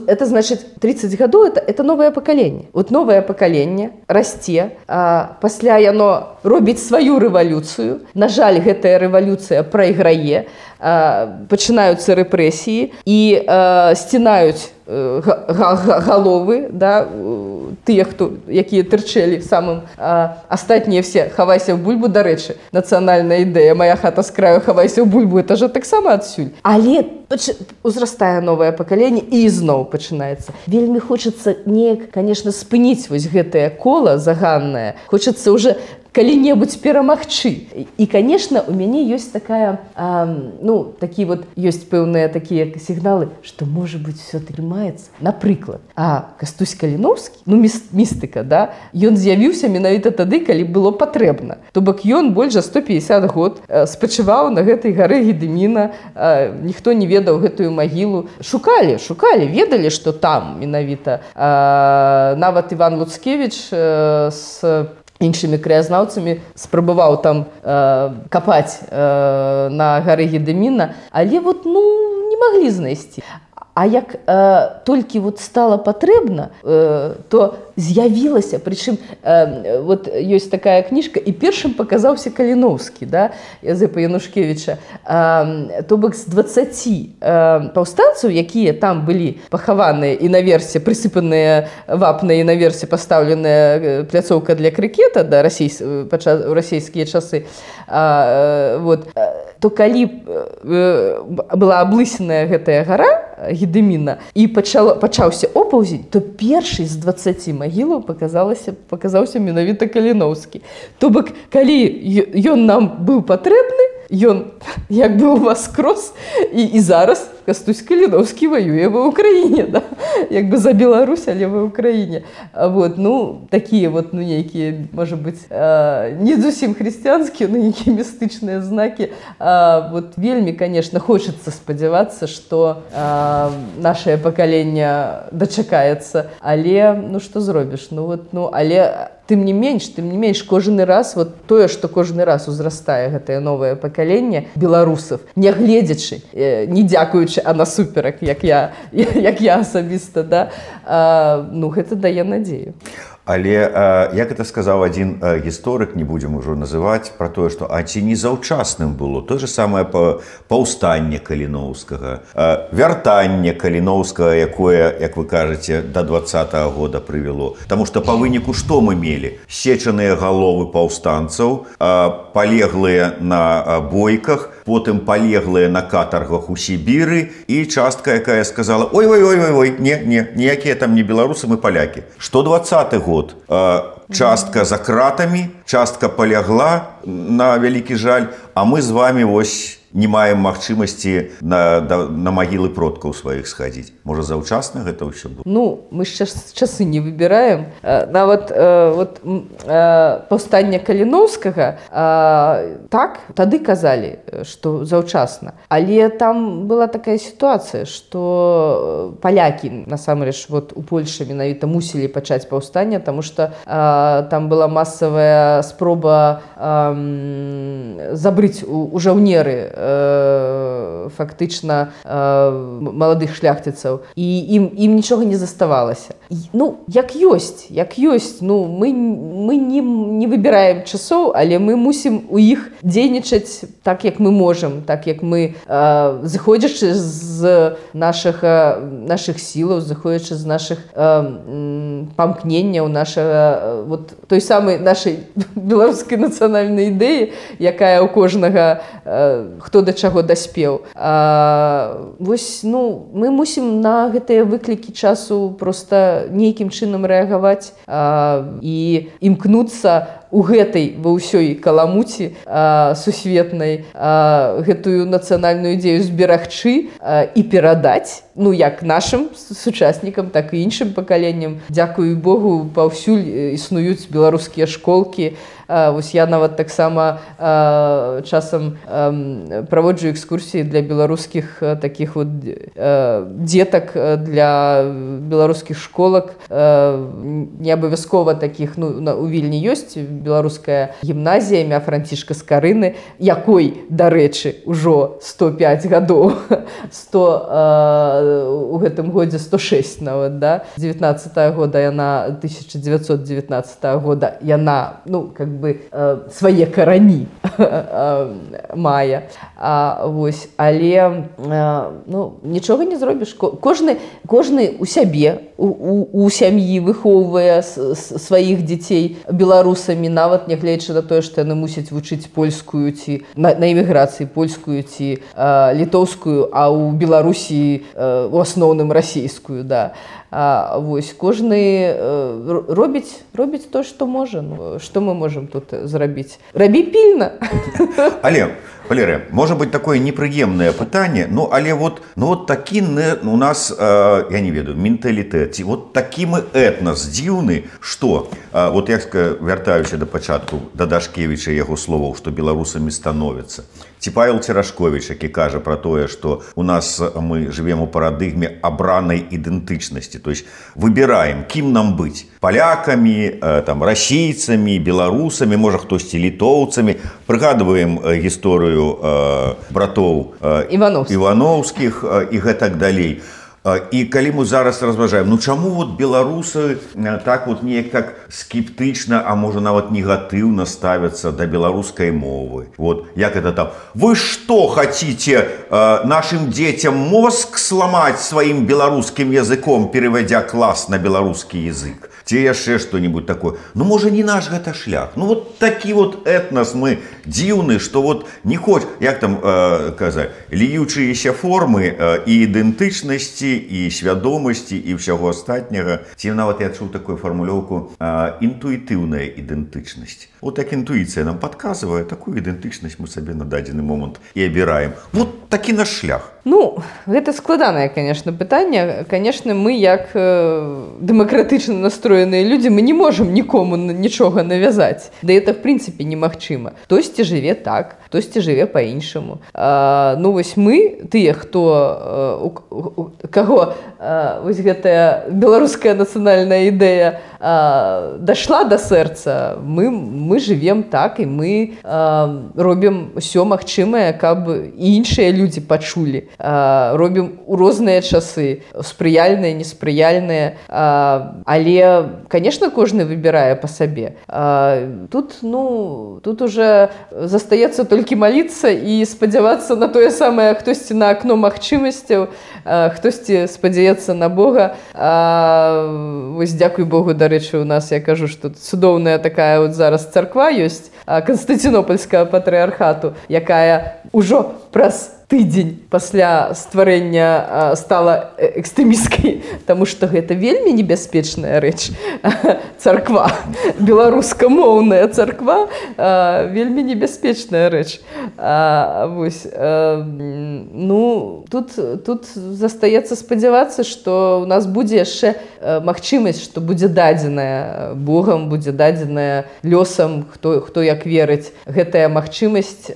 это значит тридцать гадоў, это, это новое пакаленне. Вот новое пакаленне расце, а пасля яно робіць сваю рэвалюцыю. На жаль, гэтая рэвалюцыя прайграе, а, пачынаюцца рэпрэсіі і а, сцінаюць галовы, да, тыя, хто, якія тырчэлі самым. А, астатнія все «Хавайся ў бульбу», дарэчы, нацыянальная ідэя «Моя хата з краю, хавайся ў бульбу», это же таксама адсюль. Але узрастае новае пакаленне і ізноў пачынаецца. Вельмі хочацца неяк, конечно, спыніць вось гэтае кола заганнае. Хочацца уже калі-небудзь перамагчы. І, конечно, у мяне ёсць такая, а, ну, такі вот, ёсць пэўныя такія сігналы, што, можа быць, все атрымаецца. Напрыклад, а Кастусь Каліноўскі, ну, містыка, да, ён з'явіўся менавіта тады, калі было патрэбна. То бок ён больш за сто пятьдесят год спачываў на гэтай гары Гедыміна, ніхто не ведаў гэтую магілу. Шукалі, шукалі, ведалі, што там менавіта. Нават Іван Луцкевіч з іншымі краязнаўцамі спрабаваў там э, капаць э, на гары Гедыміна, але вот, ну, не маглі знайсці. А як э, толькі вот стала патрэбна, э, то з'явілася, прычым э, вот ёсць такая кніжка, і першым паказаўся Каліноўскі, да, Язэпа Янушкевіча. Э, то бок з дваццаці э, паўстанцаў, якія там былі пахаваныя і наверсе прысыпаныя вапнай, і наверсе пастаўленая пляцоўка для крыкета, да, расейс, пача, у расійскія часы, э, вот, то калі э, была аблысеная гэтая гара Гедыміна і пачала, пачаўся опаўзень, то першый з дваццаці магілаў паказалася, паказаўся менавіта Каліноўскі. То бок, калі ён нам быў патрэбны, ён як бы уваскрос, і, і зараз Кастусь Каліноўскі воюе ва Ўкраіне, да? Як бы за Беларусь, але ва Ўкраіне. Вот, ну, такія вот, ну, нейкія, можа быць, э, не зусім хрысціянскія, но нейкія містычныя знакі. Э, вот вельмі, конечно, хочацца спадзявацца, што э, нашае пакаленне дачакаецца, але, ну, што зробіш? Ну, вот, ну, але тым не менш, тым не менш, кожны раз, вот тое, што кожны раз узрастае гэтае новае пакаленне беларусаў, нягледзячы, э, не дзякуючы, а насуперак, як я, як я асабіста, да, а, ну, гэта дае надзею. Але, э, як это сказаў адзін э, гісторык, не будзем ужо называць, пра тое, што а ці не заўчасным было тое же самае паўстанне Каліноўскага, э, вяртанне Каліноўскага, якое, як вы кажаце, да двадцатага года прывяло. Таму што па выніку што мы мелі? Сечаныя галовы паўстанцаў, э, палеглыя на э, бойках, потым палеглыя на катаргах у Сібіры, і частка, якая сказала: ой-ой-ой-ой, не, не, ніякія там не беларусы, мы палякі. Што двадцаты год? Частка за кратамі, частка палягла, на вялікі жаль, а мы з вами вось не маем магчымасці на, на магілы продкаў сваіх схадзіць. Можа, заўчасна гэта ўсё было? Ну, мы ж час, часы не выбіраем. Нават э, вот, э, паўстанне Каліноўскага, э, так, тады казалі, што заўчасна. Але там была такая сітуацыя, што палякі, насамрэч, вот, у Польшы менавіта мусілі пачаць паўстанне, таму што э, там была масавая спроба э, забрыць у, у жаўнеры фактычна маладых шляхціцаў, і ім, ім нічога не заставалася. Ну, як ёсць, як ёсць, ну, мы, мы не, не выбіраем часоў, але мы мусім у іх дзейнічаць так, як мы можам, так, як мы, зыходзячы з нашых, нашых сілаў, зыходзячы з нашых памкненняў, нашага, вот, той самай нашай беларускай нацыянальнай ідэі, якая ў кожнага, хто да чаго даспеў. А, вось, ну, мы мусім на гэтыя выклікі часу проста нейкім чынам рэагаваць а, і імкнуцца у гэтай ва ўсёй каламуці а, сусветнай а, гэтую нацыянальную ідзею зберагчы а, і перадаць, ну, як нашым сучаснікам, так і іншым пакаленням. Дзякуй Богу, паўсюль існуюць беларускія школкі. А, вось я нават таксама а, часам а, праводжу экскурсіі для беларускіх а, такіх вот а, дзетак, для беларускіх школак. А, не абавязкова такіх, ну, у Вільні ёсць беларуская гімназія імя Францішка Скарыны, якой, дарэчы, ужо сто пяць гадоў, сто у гэтым годзе сто шэсць нават, да, девятнадцатого года яна, тысяча девятьсот девятнадцатого года яна, ну, как бы свае карані мае. А, вось, але ну, нічога не зробіш. Кожны, кожны у сябе, у, у, у сям'і выхоўвае сваіх дзяцей беларусамі, нават нягледзячы на тое, што яны мусяць вучыць польскую ці на, на эміграцыі польскую ці а, літоўскую, а ў Беларусі а, у асноўным расійскую, да. А, вось, кожны а, робіць, робіць то, што можа. Ну, што мы можам тут зрабіць? Рабі пільна. Але Валерыя, можа быць такое непрыемнае пытанне, ну але вот, ну, вот такі у нас, э, я не ведаю, менталітэт, ці вот такі мы этнас дзіўны, што, э, вот я вяртаюся да пачатку, да Дашкевіча яго словаў, што беларусамі становяцца. Ці Павел Церашковіч, які кажа пра тое, што у нас мы жывем у парадыгме абранай ідэнтычнасці, то есть выбіраем, кім нам быць, палякамі, э, там, расійцамі, беларусамі, можа хтосьці літоўцамі, прыгадваем э, гісторыю э, братоў э, Івановскіх. Івановскіх э, і гэтак далей. І калі мы зараз разважаем, ну чаму вот беларусы так вот неяк как скептычна, а можа нават негатыўна ставяцца да беларускай мовы? Вот як это там? Вы что хотите э, нашим детям мозг сломать своим беларускім языком, переводя класс на беларускі язык? Ці яшчэ што-нибудь такое? Ну можа не наш гэта шлях. Ну вот такі вот этнас мы дзіўны, што вот не хоць, як там э, казаць, ліючыеся формы э, і ідэнтычнасці, і свядомасці, і ўсяго астатняга. Ці нават я чуў такую фармулёўку э, інтуітыўная ідэнтычнасць. Вот як інтуіцыя нам падказвае, такую ідэнтычнасць мы сабе на дадзены момант і абіраем. Вот такі наш шлях. Ну, гэта складанае, конечно, пытанне. Конечно, мы, як э, дэмакратычна настроеныя людзі, мы не можам нікому нічога навязаць. Да это, в прынцыпе, немагчыма. Хтосьці жыве так, хтосьці жыве па-іншаму. А, ну, вось мы, тыя, хто, у, у, каго а, вось гэтая беларуская нацыянальная ідэя а, дашла да сэрца, мы, мы жывем так, і мы а, робім усё магчымае, каб і іншыя людзі пачулі. А, робім у розныя часы, спрыяльныя, неспрыяльныя, а, але, конечно, кожны выбірае па сабе. А, тут, ну, тут уже застаецца толькі маліцца і спадзявацца на тое самае, хтосьці на акно магчымасцяў, хтосьці спадзяецца на Бога. А, вось, дзякуй Богу, дарэчы, у нас, я кажу, што цудоўная такая вот зараз царква ёсць, Канстантинопольскага патрыархату, якая ўжо праз тыдзень пасля стварэння стала экстрэмісткай, таму што гэта вельмі небяспечная рэч. Царква, беларускамоўная царква, вельмі небяспечная рэч. Вось, ну, тут, тут застаецца спадзявацца, што ў нас будзе яшчэ магчымасць, што будзе дадзеная Богам, будзе дадзеная лёсам, хто, хто як верыць, гэтая магчымасць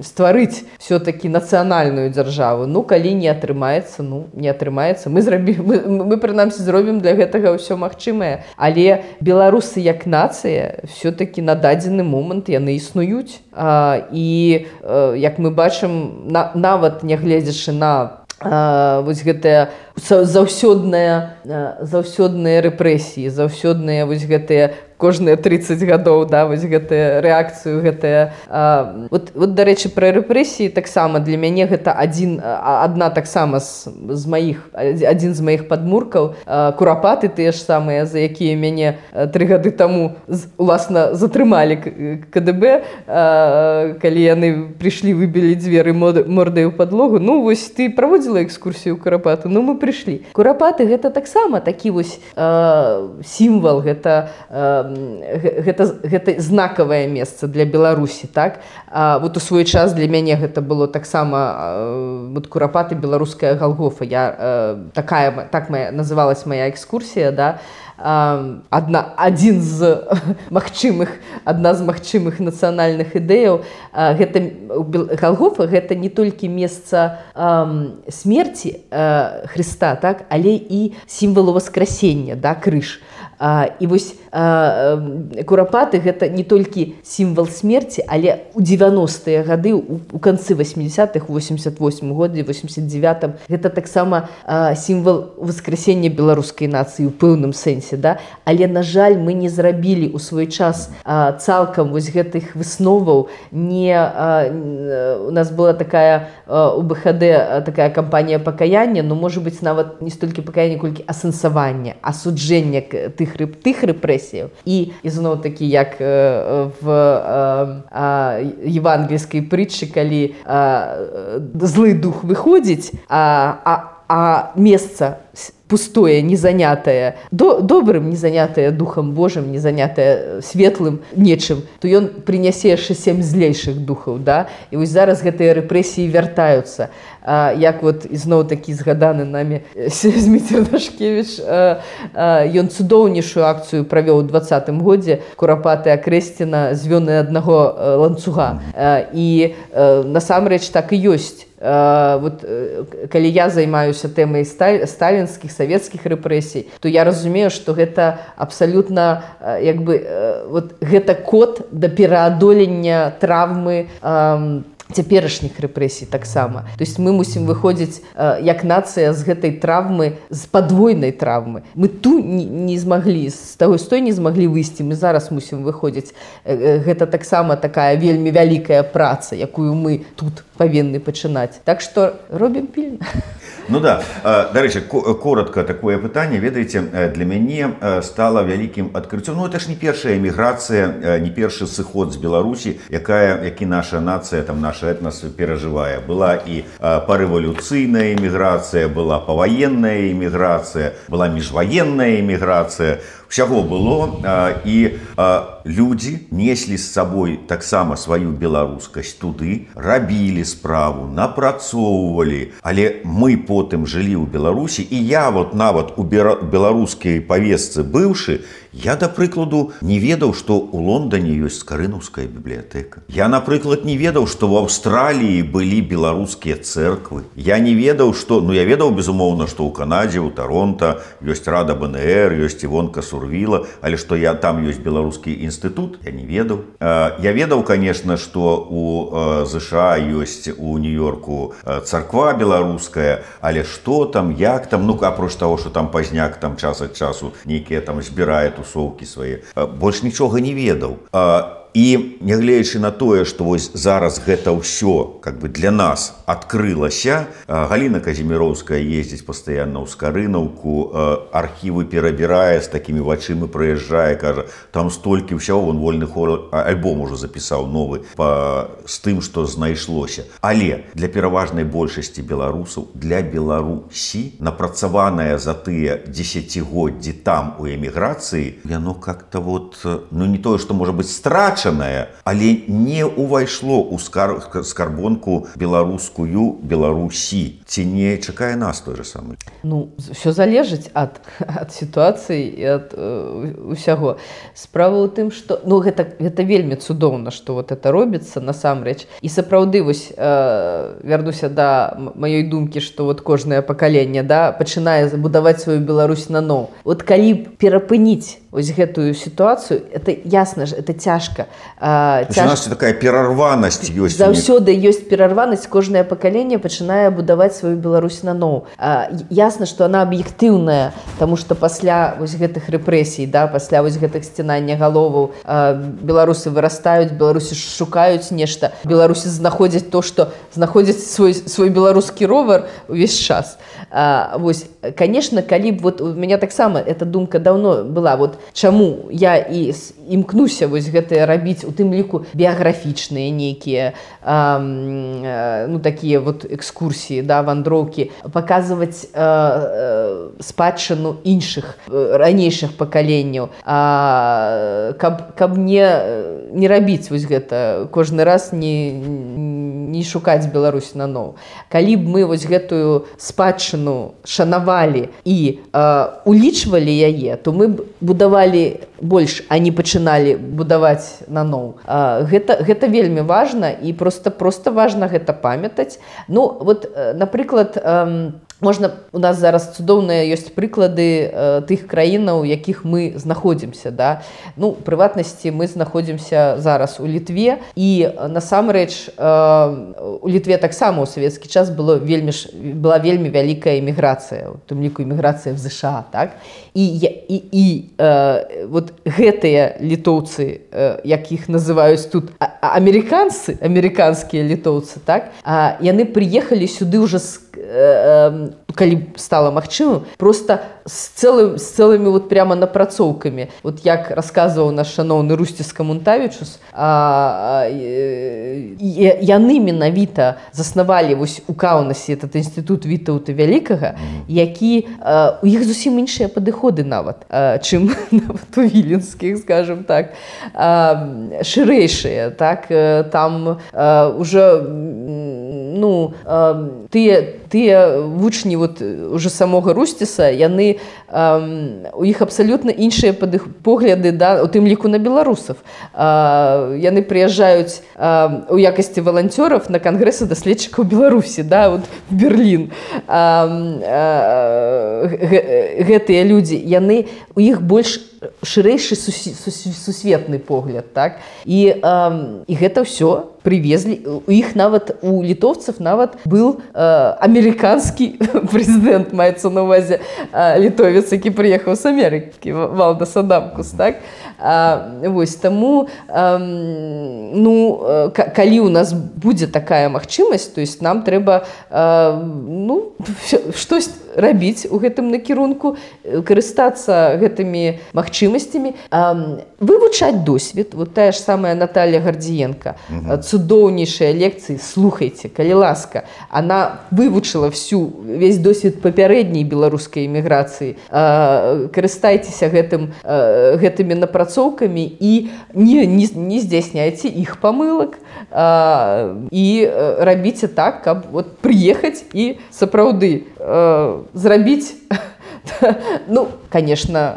стварыць все-таки нацыянальную дзяржаву. Ну, калі не атрымаецца, ну, не атрымаецца. Мы, зрабі... мы, мы прынамсі, зробім для гэтага ўсё магчымае. Але беларусы як нацыя все-таки на дадзены момант яны існуюць. А, і, а, як мы бачым, на, нават нягледзячы на а, вось гэтыя заўсёдныя, заўсёдныя рэпрэсіі, заўсёдныя вось гэтыя кожныя тридцать гадоў, да, вось гэтая рэакцыю, гэтая... А, вот, вот, дарэчы, пра рэпрэсіі таксама для мяне гэта адзін, адна таксама з, з маіх, адзін з маіх падмуркаў. А, курапаты тыя ж самыя, за якія мяне тры гады таму, уласна, затрымалі КДБ, а, калі яны прыйшлі, выбілі дзверы мордай у падлогу. Ну, вось, ты праводзіла экскурсію ў курапаты? Ну, мы прыйшлі. Курапаты гэта таксама такі вось а, сімвал, гэта... А, Гэта, гэта знакавае месца для Беларусі, так? А, вот у свой час для мяне гэта было таксама вот, курапаты, беларуская Галгофа. Я, а, такая, так моя, называлась моя экскурсія, да? А, адна, адзін з магчымых, адна з магчымых нацыянальных ідэяў. А, гэта, Галгофа гэта не толькі месца а, смерці а, Хрыста, так? Але і сімвалу воскресення, да? Крыж. А, і вось а, курапаты гэта не толькі сімвал смерці, але у дзевяностыя гады, у, у канцы восьмидесятых, у восемьдесят восьмым годзе, восемьдесят девятым, гэта таксама а, сімвал воскресення беларускай нацыі ў пэўным сэнсе, да? Але, на жаль, мы не зрабілі ў свой час а, цалкам вось гэтых высноваў. Не, а, у нас была такая а, у БХД такая кампанія пакаяння, но, можа быць, нават не столькі пакаяння, колькі асэнсавання, асуджэння тых, тых рэпрэсіяў. І, ізноў такі, як э, в э, э, евангельскай прытчы, калі э, злы дух выходзіць, а, а, а месца пустое, не занятае до, добрым, не занятае духам Божым, не занятае светлым нечым, то ён прынясе яшчэ сем злейшых духаў, да? І вось зараз гэтыя рэпрэсіі вяртаюцца. А, як вот ізноў такі згаданы нами Зміцер Дашкевіч, а, а, ён цудоўнейшую акцыю правёў у двадцатым годзе «Курапаты Акрэсціна звёны аднаго ланцуга». А, і а, насамрэч так і ёсць. Uh, вот, uh, калі я займаюся тэмай сталь, сталінскіх, савецкіх рэпрэсій, то я разумею, што гэта абсалютна uh, як бы, uh, вот, гэта код да пераадолення траўмы uh, цяперашніх рэпрэсій таксама. То есть мы мусім выходзіць э, як нацыя з гэтай траўмы, з падвойнай траўмы. Мы ту не, не змаглі, з таго з той не змаглі выйсці, мы зараз мусім выходзіць. Э, гэта таксама такая вельмі вялікая праца, якую мы тут павінны пачынаць. Так што робім пільна. Ну да, дарэчы, коротко такое пытанне, ведаеце, для мяне стала вялікім адкрыццём. Ну это ж не першая эміграцыя, не першы сыход з Беларусі, якая, які наша нацыя, там наш этнос перажывае. Была і парэвалюцыйная эміграцыя, была паваенная эміграцыя, была міжваенная эміграцыя. Усяго было, і людзі неслі з сабой таксама сваю беларускасць туды, рабілі справу, напрацоўвалі, але мы потым жылі ў Беларусі, і я вот нават у беларускай павестцы быўшы, я, да прыкладу, не ведаў, што ў Лондоне ёсць Скарынаўская бібліятэка. Я, напрыклад, не ведаў, што ў Аўстраліі былі беларускія цэрквы. Я не ведаў, што... Ну, я ведаў, безумоўна, што ў Канадзе, ў Таронта ёсць Рада БНР, ёсць Івонка Сурвіла, але што я, там ёсць беларускі інстытут, я не ведаў. Я ведаў, конечно, што ў ЗША ёсць у Нью-Йорку царква беларуская, але што там, як там, ну, апроч таго, што там пазняк там час ад часу нейкія там збірае тусоўкі свае, больш нічога не ведаў. І нягледзячы на тое, што вось зараз гэта ўсё как бы для нас адкрылася, Галіна Казіміроўская ездзіць пастаянна ў Скарынаўку, архівы перабірае, з такімі вачыма прыязджае, кажа, там столькі ўсяго, вон вольны хор, альбом ужо запісаў новы па, з тым, што знайшлося. Але для пераважнай большасці беларусаў, для Беларусі, напрацаваная за тыя дзесяцігоддзі там у эміграцыі, яно как-то вот, ну не тое, што можа быць страчана, але не увайшло ў скар... скарбонку беларускую Беларусі. Ці не чакае нас той же самы? Ну, все залежыць ад, ад сітуацыі і ад э, усяго. Справа ў тым, што... Ну, гэта, гэта вельмі цудоўна, што вот это робіцца насамрэч. І сапраўды, вось, э, вярнуся да маёй думкі, што вот кожнае пакаленне, да, пачынае будаваць сваю Беларусь наноў. Вот калі б перапыніць вось гэтую сітуацыю, это ясна ж, это цяжка. А, цяж... У нас такая перарванасць ёсць. Заўсёды ёсць перарванасць, кожнае пакаленне пачынае будаваць сваю Беларусь наноў. А, ясна, што она аб'ектыўная, таму што пасля вось гэтых рэпрэсій, да, пасля вось гэтых сцінання галоваў, а, беларусы вырастаюць, беларусы шукаюць нешта, беларусы знаходзяць то, што знаходзяць свой, свой беларускі ровар увесь час. А, вось, конечно, калі б, вот у мяне таксама эта думка даўно была, вот чаму я і імкнуся вось гэтае рабіць, у тым ліку біяграфічныя нейкія, а, ну, такія вот экскурсіі, да, вандроўкі, паказваць а, спадчыну іншых ранейшых пакаленняў, а, каб, каб не, не рабіць вось гэта, кожны раз не, не шукаць Беларусь наноў. Калі б мы вось гэтую спадчыну шанавалі і а, улічвалі яе, то мы б будавалі больш, а не пачыналі будаваць наноў. А, гэта, гэта вельмі важна, і проста, проста важна гэта памятаць. Ну, вот, напрыклад, можна, у нас зараз цудоўныя ёсць прыклады э, тых краінаў, у якіх мы знаходзімся, да? Ну, прыватнасці, мы знаходзімся зараз у Літве, і насамрэч э, у Літве таксама ў савецкі час было вельмі, была вельмі вялікая эміграцыя, у тым ліку эміграцыя в ЗША, так? І, і, і э, вот гэтыя літоўцы, э, якіх называюць тут амерыканцы, амерыканскія літоўцы, так? А, яны прыехалі сюды ўжо з калі стала магчымым, просто з, цэлым, з цэлымі вот прямо напрацоўкамі. Вот як расказваў наш шаноўны Русціс Камунтавічус, а, а, яны менавіта заснавалі вось у Каўнасе этот інстытут Вітаўта Вялікага, які а, у іх зусім іншыя падыходы нават, а, чым нават у віленскіх, скажем так, а, шырэйшыя, так, там а, уже ну, а, тыя тыя вучні вот уже самога Русціса, яны э, у іх абсалютна іншыя погляды, да, у тым ліку на беларусаў. Э, яны прыязджаюць э, у якасці валанцёраў на кангрэсы даследчыкаў Беларусі, да, вот в Берлін. Э, э, гэтыя людзі, яны у іх больш шырэйшы сусветны погляд, так? І, э, і гэта ўсё привезли. У іх нават, у літоўцаў нават был э, амерыканскі прэзідэнт, маецца на ўвазе э, літовец, які прыехаў з Амерыкі, Валдас Адамкус, так? А, вось, таму, э, ну, к- калі у нас будзе такая магчымасць, то есть нам трэба э, ну, штось рабіць у гэтым накірунку, карыстацца гэтымі магчымасцямі, э, вывучаць досвед. Вот тая ж самая Наталья Гардзіенка, угу. Цудоўнейшыя лекцыі, слухайце, калі ласка. Она вывучыла всю, весь досвед папярэдняй беларускай эміграцыі. Э, карыстайцеся гэтым, э, гэтымі напрацоўкамі і не, не, не здзяйсняйце іх памылак. Э, і э, рабіце так, каб вот прыехаць і сапраўды э, зрабіць. Ну, конечно,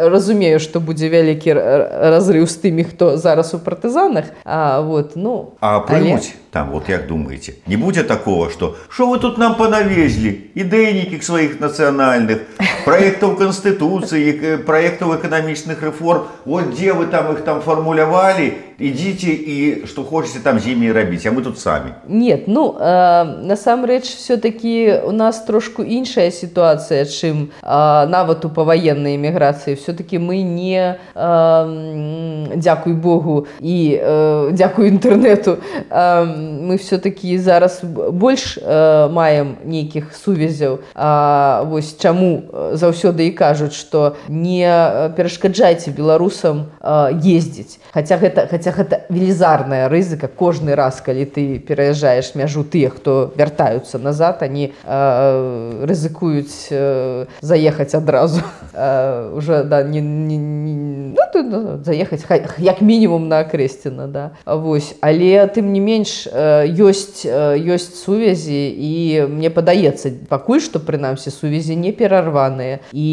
разумею, што будзе вялікі разрыў з тымі, хто зараз у партызанах. А, вот, ну, а прымуць але... там, вот як думаеце, не будзе такого, што «Шо вы тут нам панавезлі? Ідэйнікі сваіх нацыянальных, праектаў Канстытуцыі, праектаў эканамічных рэформ, вот дзе вы там іх там фармулявалі, ідзіце і што хочаце там з імі рабіць, а мы тут самі». Нет, ну, э, насамрэч, все-таки у нас трошку іншая ситуация, чым э, нават у паваеннай эміграцыі. Все-таки мы не, э, дзякуй Богу і э, дзякуй інтэрнэту, э, мы все-таки зараз больш э, маем нейкіх сувязяў. А, вось чаму заўсёды і кажуць, што не перашкаджайце беларусам э, ездзіць. Хаця гэта, хаця гэта велізарная рызыка. Кожны раз, калі ты пераязджаеш мяжу, тыя, хто вяртаюцца назад, они э, рызыкуюць э, заехаць адразу. Э, уже, да, не, не, не, ну, тут, ну, заехаць як мінімум на Акрэсціна, да. Вось. Але тым не менш э, ёсць, э, ёсць сувязі, і мне падаецца, пакуль што, прынамсі, сувязі не перарваныя, і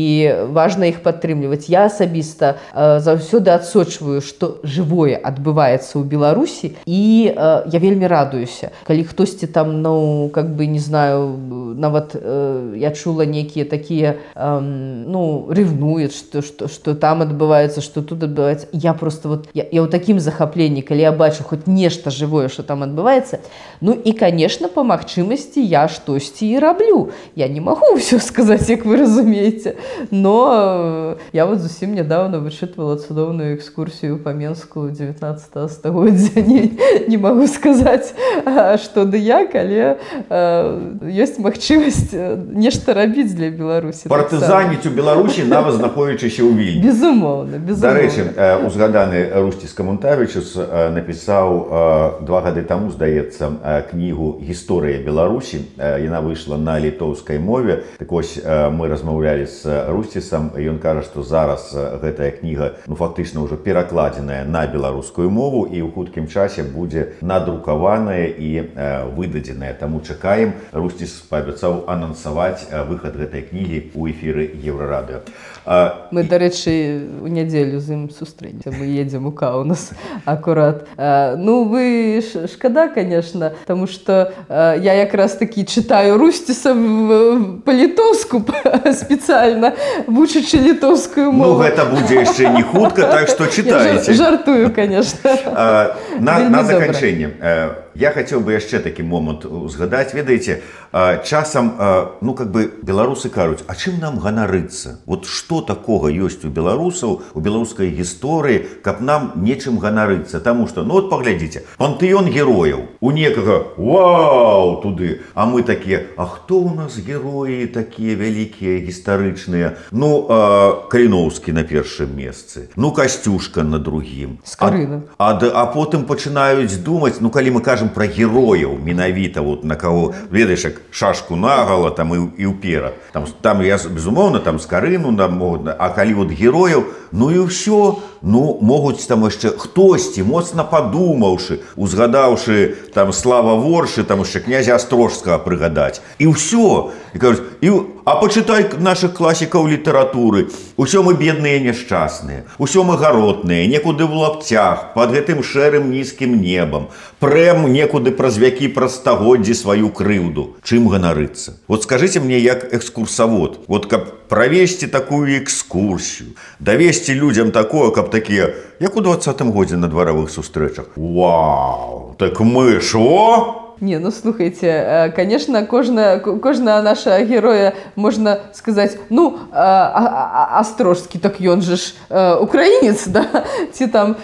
важна іх падтрымліваць. Я асабіста э, заўсёды адсочваю, што жывое адбываецца ў Беларусі, і э, я вельмі радуюся. Калі хтосьці там, ну, как бы, не знаю, нават э, я чула нейкія такія, э, ну, ревнуюць, што, што, што там адбываецца, што тут адбываецца. Я просто вот, я, я ў такім захапленні, калі я бачу хоць нешта жывое, што там адбываецца. Ну, і, конечно, па магчымасці я штосьці і раблю. Я не магу ўсё сказаць, як вы разумееце, но э, я вот зусім нядаўна вычытвала цудоўную экскурсію па Менску дзевятнаццатага стагоддзя. Не, не магу сказаць, што ды як, але э, ёсць магчымасць нешта рабіць для Беларусі. Партызаніць у Беларусі, нават знаходзячыся ў Вільні. Безумоўна, безумоўна. Дарэчы, узгаданы Русціс Камунтавічус напісаў два гады таму, здаецца, кнігу «Гісторыя Беларусі». Яна выйшла на літоўскай мове. Так вось, мы размаўлялі з Русцісам, і ён кажа, што зараз гэтая кніга, ну, фактычна ўжо перакладзеная на беларускую мову і ў хуткім часе будзе надрукаваная і выдадзеная. Таму чакаем. Русціс паабяцаў анансаваць выхад гэтай кнігі ў эфіры Еўрарадыё. Мы, дарэчы, у нядзелю з ім сустрэнемся. Мы едзем у Каўнас акурат. Ну, вы шкада беда, конечно, потому что э, я как раз таки читаю Рустиса по-литовску специально, вучачы літоўскую мову. Ну, гэта будзе яшчэ не хутка, так што читаеце. Я жартую, конечно. А, на, на заканчэнне. Я хацеў бы яшчэ такі момант узгадаць. Ведаеце, часам, ну, как бы, беларусы кажуць, а чым нам ганарыцца? Вот што такога ёсць у беларусаў, у беларускай гісторыі, каб нам нечым ганарыцца? Таму што, ну, вот паглядзіце, пантэон герояў. У некага, вау, туды. А мы такія, а хто ў нас героі такія вялікія, гістарычныя? Ну, Каліноўскі на першым месцы. Ну, Касцюшка на другім. Скарына. А, а, а потым пачынаюць думаць, ну, калі мы кажам пра герояў, менавіта, вот, на каго, ведаеш, як шашку нагала, там, і, і ўперад. Там, там, я, безумоўна, там, Скарыну, там, могуць, а калі вот герояў, ну, і ўсё, ну, могуць там яшчэ хтосьці, моцна падумаўшы, узгадаўшы, там, Слава Воршы, там, яшчэ князя Астрожскага прыгадаць. І ўсё. І кажуць, і, а пачытай нашых класікаў літаратуры. Усё мы бедныя і няшчасныя, усё мы гаротныя, некуды в лапцях, пад гэтым шэрым нізкім небам. Прэм некуды праз вякі, праз стагоддзі сваю крыўду. Чым ганарыцца? Вот скажыце мне, як экскурсавод, вот каб правесці такую экскурсію, давесці людзям такое, каб такія, як у двадцатым годзе на дваровых сустрэчах. Вау, так мы ж, о! Не, ну слухайте, конечно, кожна, кожна наша героя, можна сказаць, ну, Астрожскі, так ён же ж украінец, да? Ці там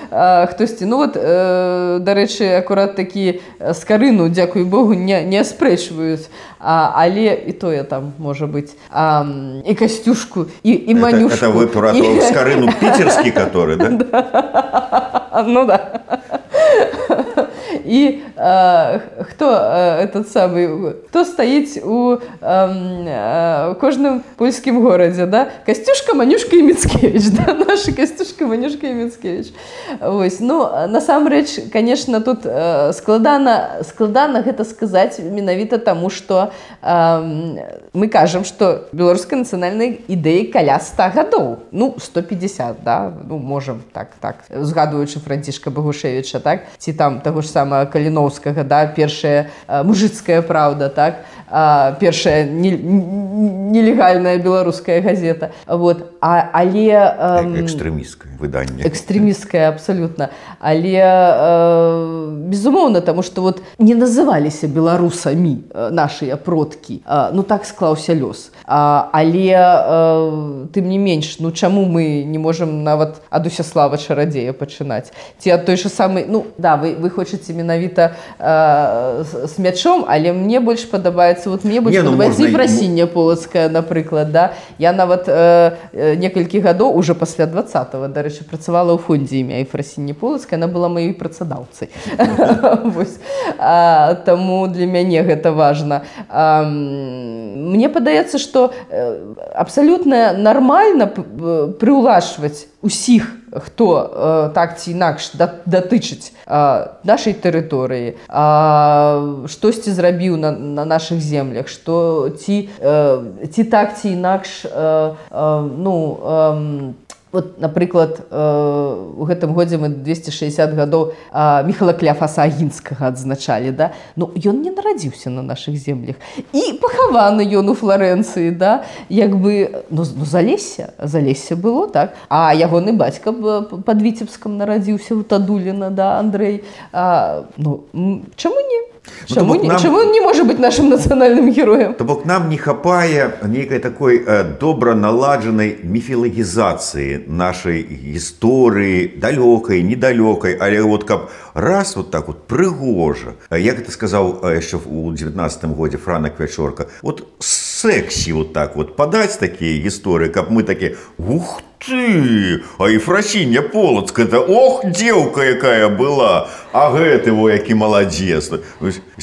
хтосьці. Ну вот, дарэчы, акурат такі Скарыну, дзякуй Богу, не, не аспрэчваюць, а, але і тое там, можа быць, а, і Касцюшку, і, і Манюшку. Это, это вы про і... Скарыну питерский, который, да? Да. Ну да. И э, кто э, этот самый, кто стоит у э, э, кожным польскім городе, да? Касцюшка, Манюшка и Мицкевич, да? Наша Касцюшка, Манюшка и Мицкевич. Ось. Ну, насамрэч, конечно, тут э, складана, складана гэта сказаць менавіта таму, што э, мы кажам, што беларускай нацыянальнай ідэі каля ста гадоў. Ну, сто пятьдесят, да? Ну, можам так, так. Згадуючы Францішка Багушевіча, так? Ці там таго ж самого Каліноўскага, да, першая э, мужицкая правда, так, э, першая не, нелегальная беларуская газета, вот, а, але... Э, экстрэмісцкае выданне. Экстрэмісцкае, абсолютно. Але, э, безумоўна, таму што вот не называліся беларусамі э, нашыя продкі, э, ну так склаўся лёс. А, але, э, тым не менш, ну чаму мы не можам нават ад Усяслава Чарадзея пачынаць? Ці ад той же самый, ну, да, вы, вы хочаце менавіта э, с, с мячом, але мне больш падабаецца, вот мне больш не, падабаецца ну, Ефрасіння Полацкая, напрыклад, да. Я нават э, некалькі гадоў, уже пасля двадцатого, дарэчы, працавала ў фондзе імя Ефрасіння Полацкая, она была маёй працадаўцай. Таму для мяне гэта важна. Мне падаецца, што абсалютна нармальна прыўлашваць усіх, хто э, так ці інакш датычыць э, нашай тэрыторыі, э, штосьці зрабіў на, на нашых землях, што ці, э, ці так ці інакш э, э, ну, э, вот, напрыклад, у гэтым годзе мы двести шестьдесят гадоў Міхала Кляфаса Агінскага адзначалі, да? Ну, ён не нарадзіўся на нашых землях. І пахаваны ён у Флорэнцыі, да? Як бы, ну, ну Залессе, Залессе было, так? А ягоны бацька пад Віцебскам нарадзіўся у Тадуліна, да, Андрэй. А, ну, чаму не? Чаму, ну, нам... чаму он не можа быць нашим нацыянальным героем? То бок нам не хапае нейкай такой э, добра наладжанай міфілагізацыі нашай гісторыі, далёкай, недалёкай, але вот каб раз вот так вот прыгожа, як гэта сказаў яшчэ у девятнадцатым годзе Франак Вячорка, вот сексі вот так вот падаць такія гісторыі, каб мы такі, ух ты, а Ефрасіння Полацкая, это ох, дзеўка якая была, а гэты во які маладзец.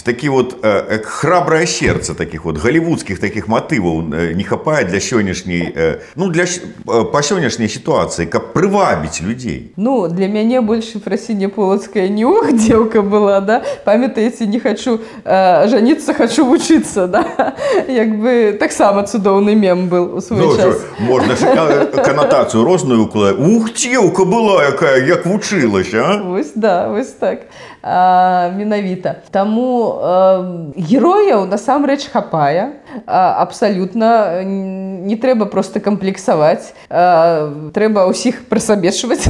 Такі вот э, храбрае сердце таких вот голливудских таких мотываў э, не хапае для сённяшняй, э, ну для э, па сённяшняй сітуацыі, каб прывабіць людзей. Ну, для мяне больш Ефрасіння Полацкая не ох, дзеўка была, да? Памятаеце, не хочу э, жаніцца, хочу вучыцца, да? Як бы таксама цудоўны мем был у свой ну, час. Можна ж канатацыю розную укладаць. Ух, дзеўка была якая, як вучылася, а? Вось, да, вось так. а, менавіта. Таму а, герояў насамрэч хапае, а, абсалютна не трэба проста камплексаваць, а, трэба ўсіх прысабечваць,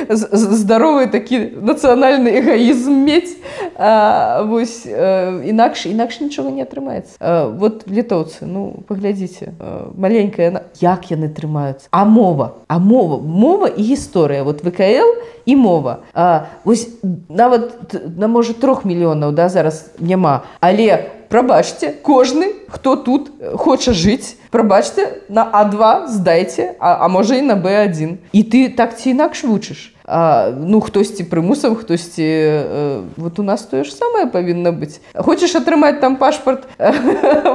здаровы такі нацыянальны эгоізм мець, а, вось, а, інакш, інакш нічога не атрымаецца. А, вот літоўцы, ну, паглядзіце, а, маленькая, як яны трымаюцца? А мова, а мова, мова і гісторыя, вот вэ ка эл і мова. А, вось нават на можа трох мільёнаў, да, зараз няма, але прабачце, кожны, хто тут хоча жыць, прабачце, на а два здайце, а, а можа і на бэ адзін. І ты так ці інакш вучыш. А, ну, хтосьці прымусам, хтосьці... Э, вот у нас тое ж самае павінна быць. Хочаш атрымаць там пашпарт э,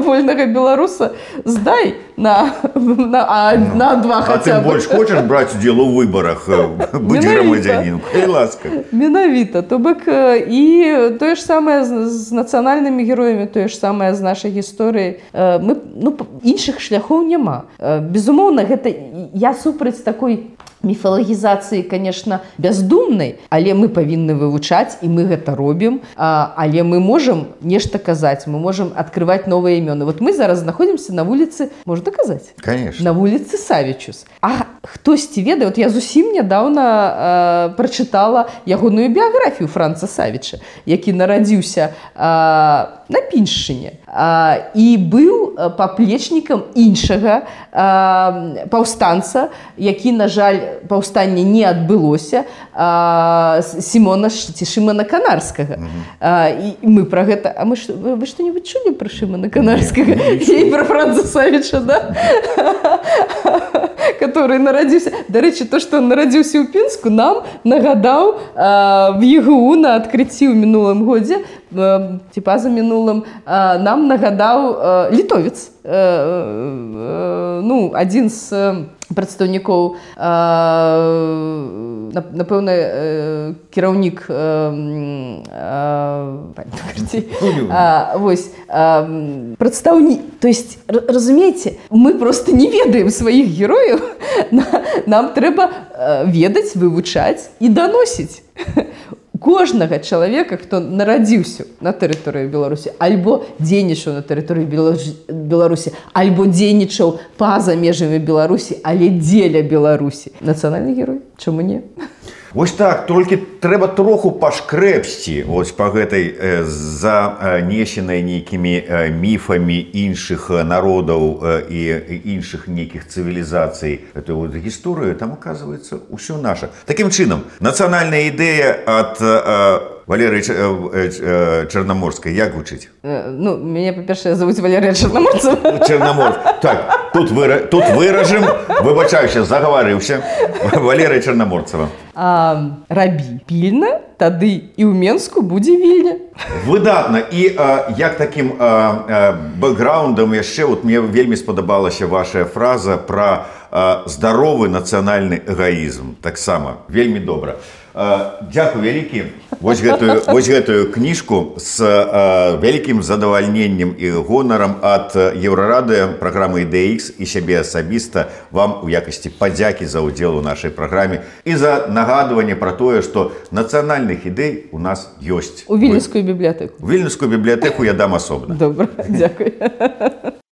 вольнага беларуса? Здай на, на, а, на два хаця б. А ты больш хочаш браць удзел у выбарах? Будзь грамадзянін. Хай ласка. Менавіта. То бок і тое ж самае з, з нацыянальнымі героямі, тое ж самае з нашай гісторыяй. Э, мы, ну, іншых шляхоў няма. Э, безумоўна, гэта я супраць такой міфалагізацыі, конечно, бяздумнай, але мы павінны вывучаць, і мы гэта робім, а, але мы можам нешта казаць, мы можам адкрываць новыя імёны. Вот мы зараз знаходзімся на вуліцы, можна казаць? Конечно. На вуліцы Савічус. А хтосьці ведае, вот я зусім нядаўна прачытала ягоную біяграфію Франца Савіча, які нарадзіўся а, на Піншчыне а, і быў паплечнікам іншага а, паўстанца, які, на жаль, паўстанне не адбылося, а, Сімона ці Шымана Канарскага. Mm-hmm. А, і мы пра гэта... А мы ш... вы што-небудзь чулі пра Шымана Канарскага? І пра Франца Савіча, да? Который нарадзіўся... Дарэчы, то, што он нарадзіўся ў Пінску, нам нагадаў а, в е гэ у на адкрыцці ў мінулым годзе, а, ці паза мінулым, а, нам нагадаў а, літовец. А, а, ну, адзін з прадстаўнікоў, напэўна, кіраўнік вось прадстаўнік. То есть, разумееце, мы просто не ведаем сваіх герояў, нам трэба ведаць, вывучаць і даносіць. Кожнага чалавека, хто нарадзіўся на тэрыторыі Беларусі, альбо дзейнічаў на тэрыторыі Беларусі, альбо дзейнічаў па-за межамі Беларусі, але дзеля Беларусі. Нацыянальны герой, чаму не? Вось так, толькі трэба троху пашкрэпсці вось па гэтай э, занесенай нейкімі э, міфамі іншых народаў э, і іншых нейкіх цывілізацый эту вот гісторыю, там оказывается ўсё наша. Такім чынам, нацыянальная ідэя ад э, Валерыі Чарнаморскай як гучыць? Э, ну, мяне, па-першае, завуць Валерыя Чарнаморцева. Чарнаморцева. Так, тут, выра... тут выражым, выбачаюся, загаварыўся. Валерыя Чарнаморцева. А, рабі пільна, тады і ў Менску будзе вільня. Выдатна. І а, як такім а, а, бэкграундам яшчэ, вот мне вельмі спадабалася ваша фраза пра а, здаровы нацыянальны эгоізм. Таксама, вельмі добра. А, дзякуй вялікі. Вось гэтую, вось гэтую кніжку з а, вялікім задавальненнем і гонарам ад Еўрарадыё, праграмы Ідэя Ікс і сябе асабіста вам у якасці падзякі за ўдзел у нашай праграме і за нагадванне пра тое, што нацыянальных ідэй у нас ёсць. У Вільнюскую бібліятэку. У Вільнюскую бібліятэку я дам асобна. Добра, дзякуй.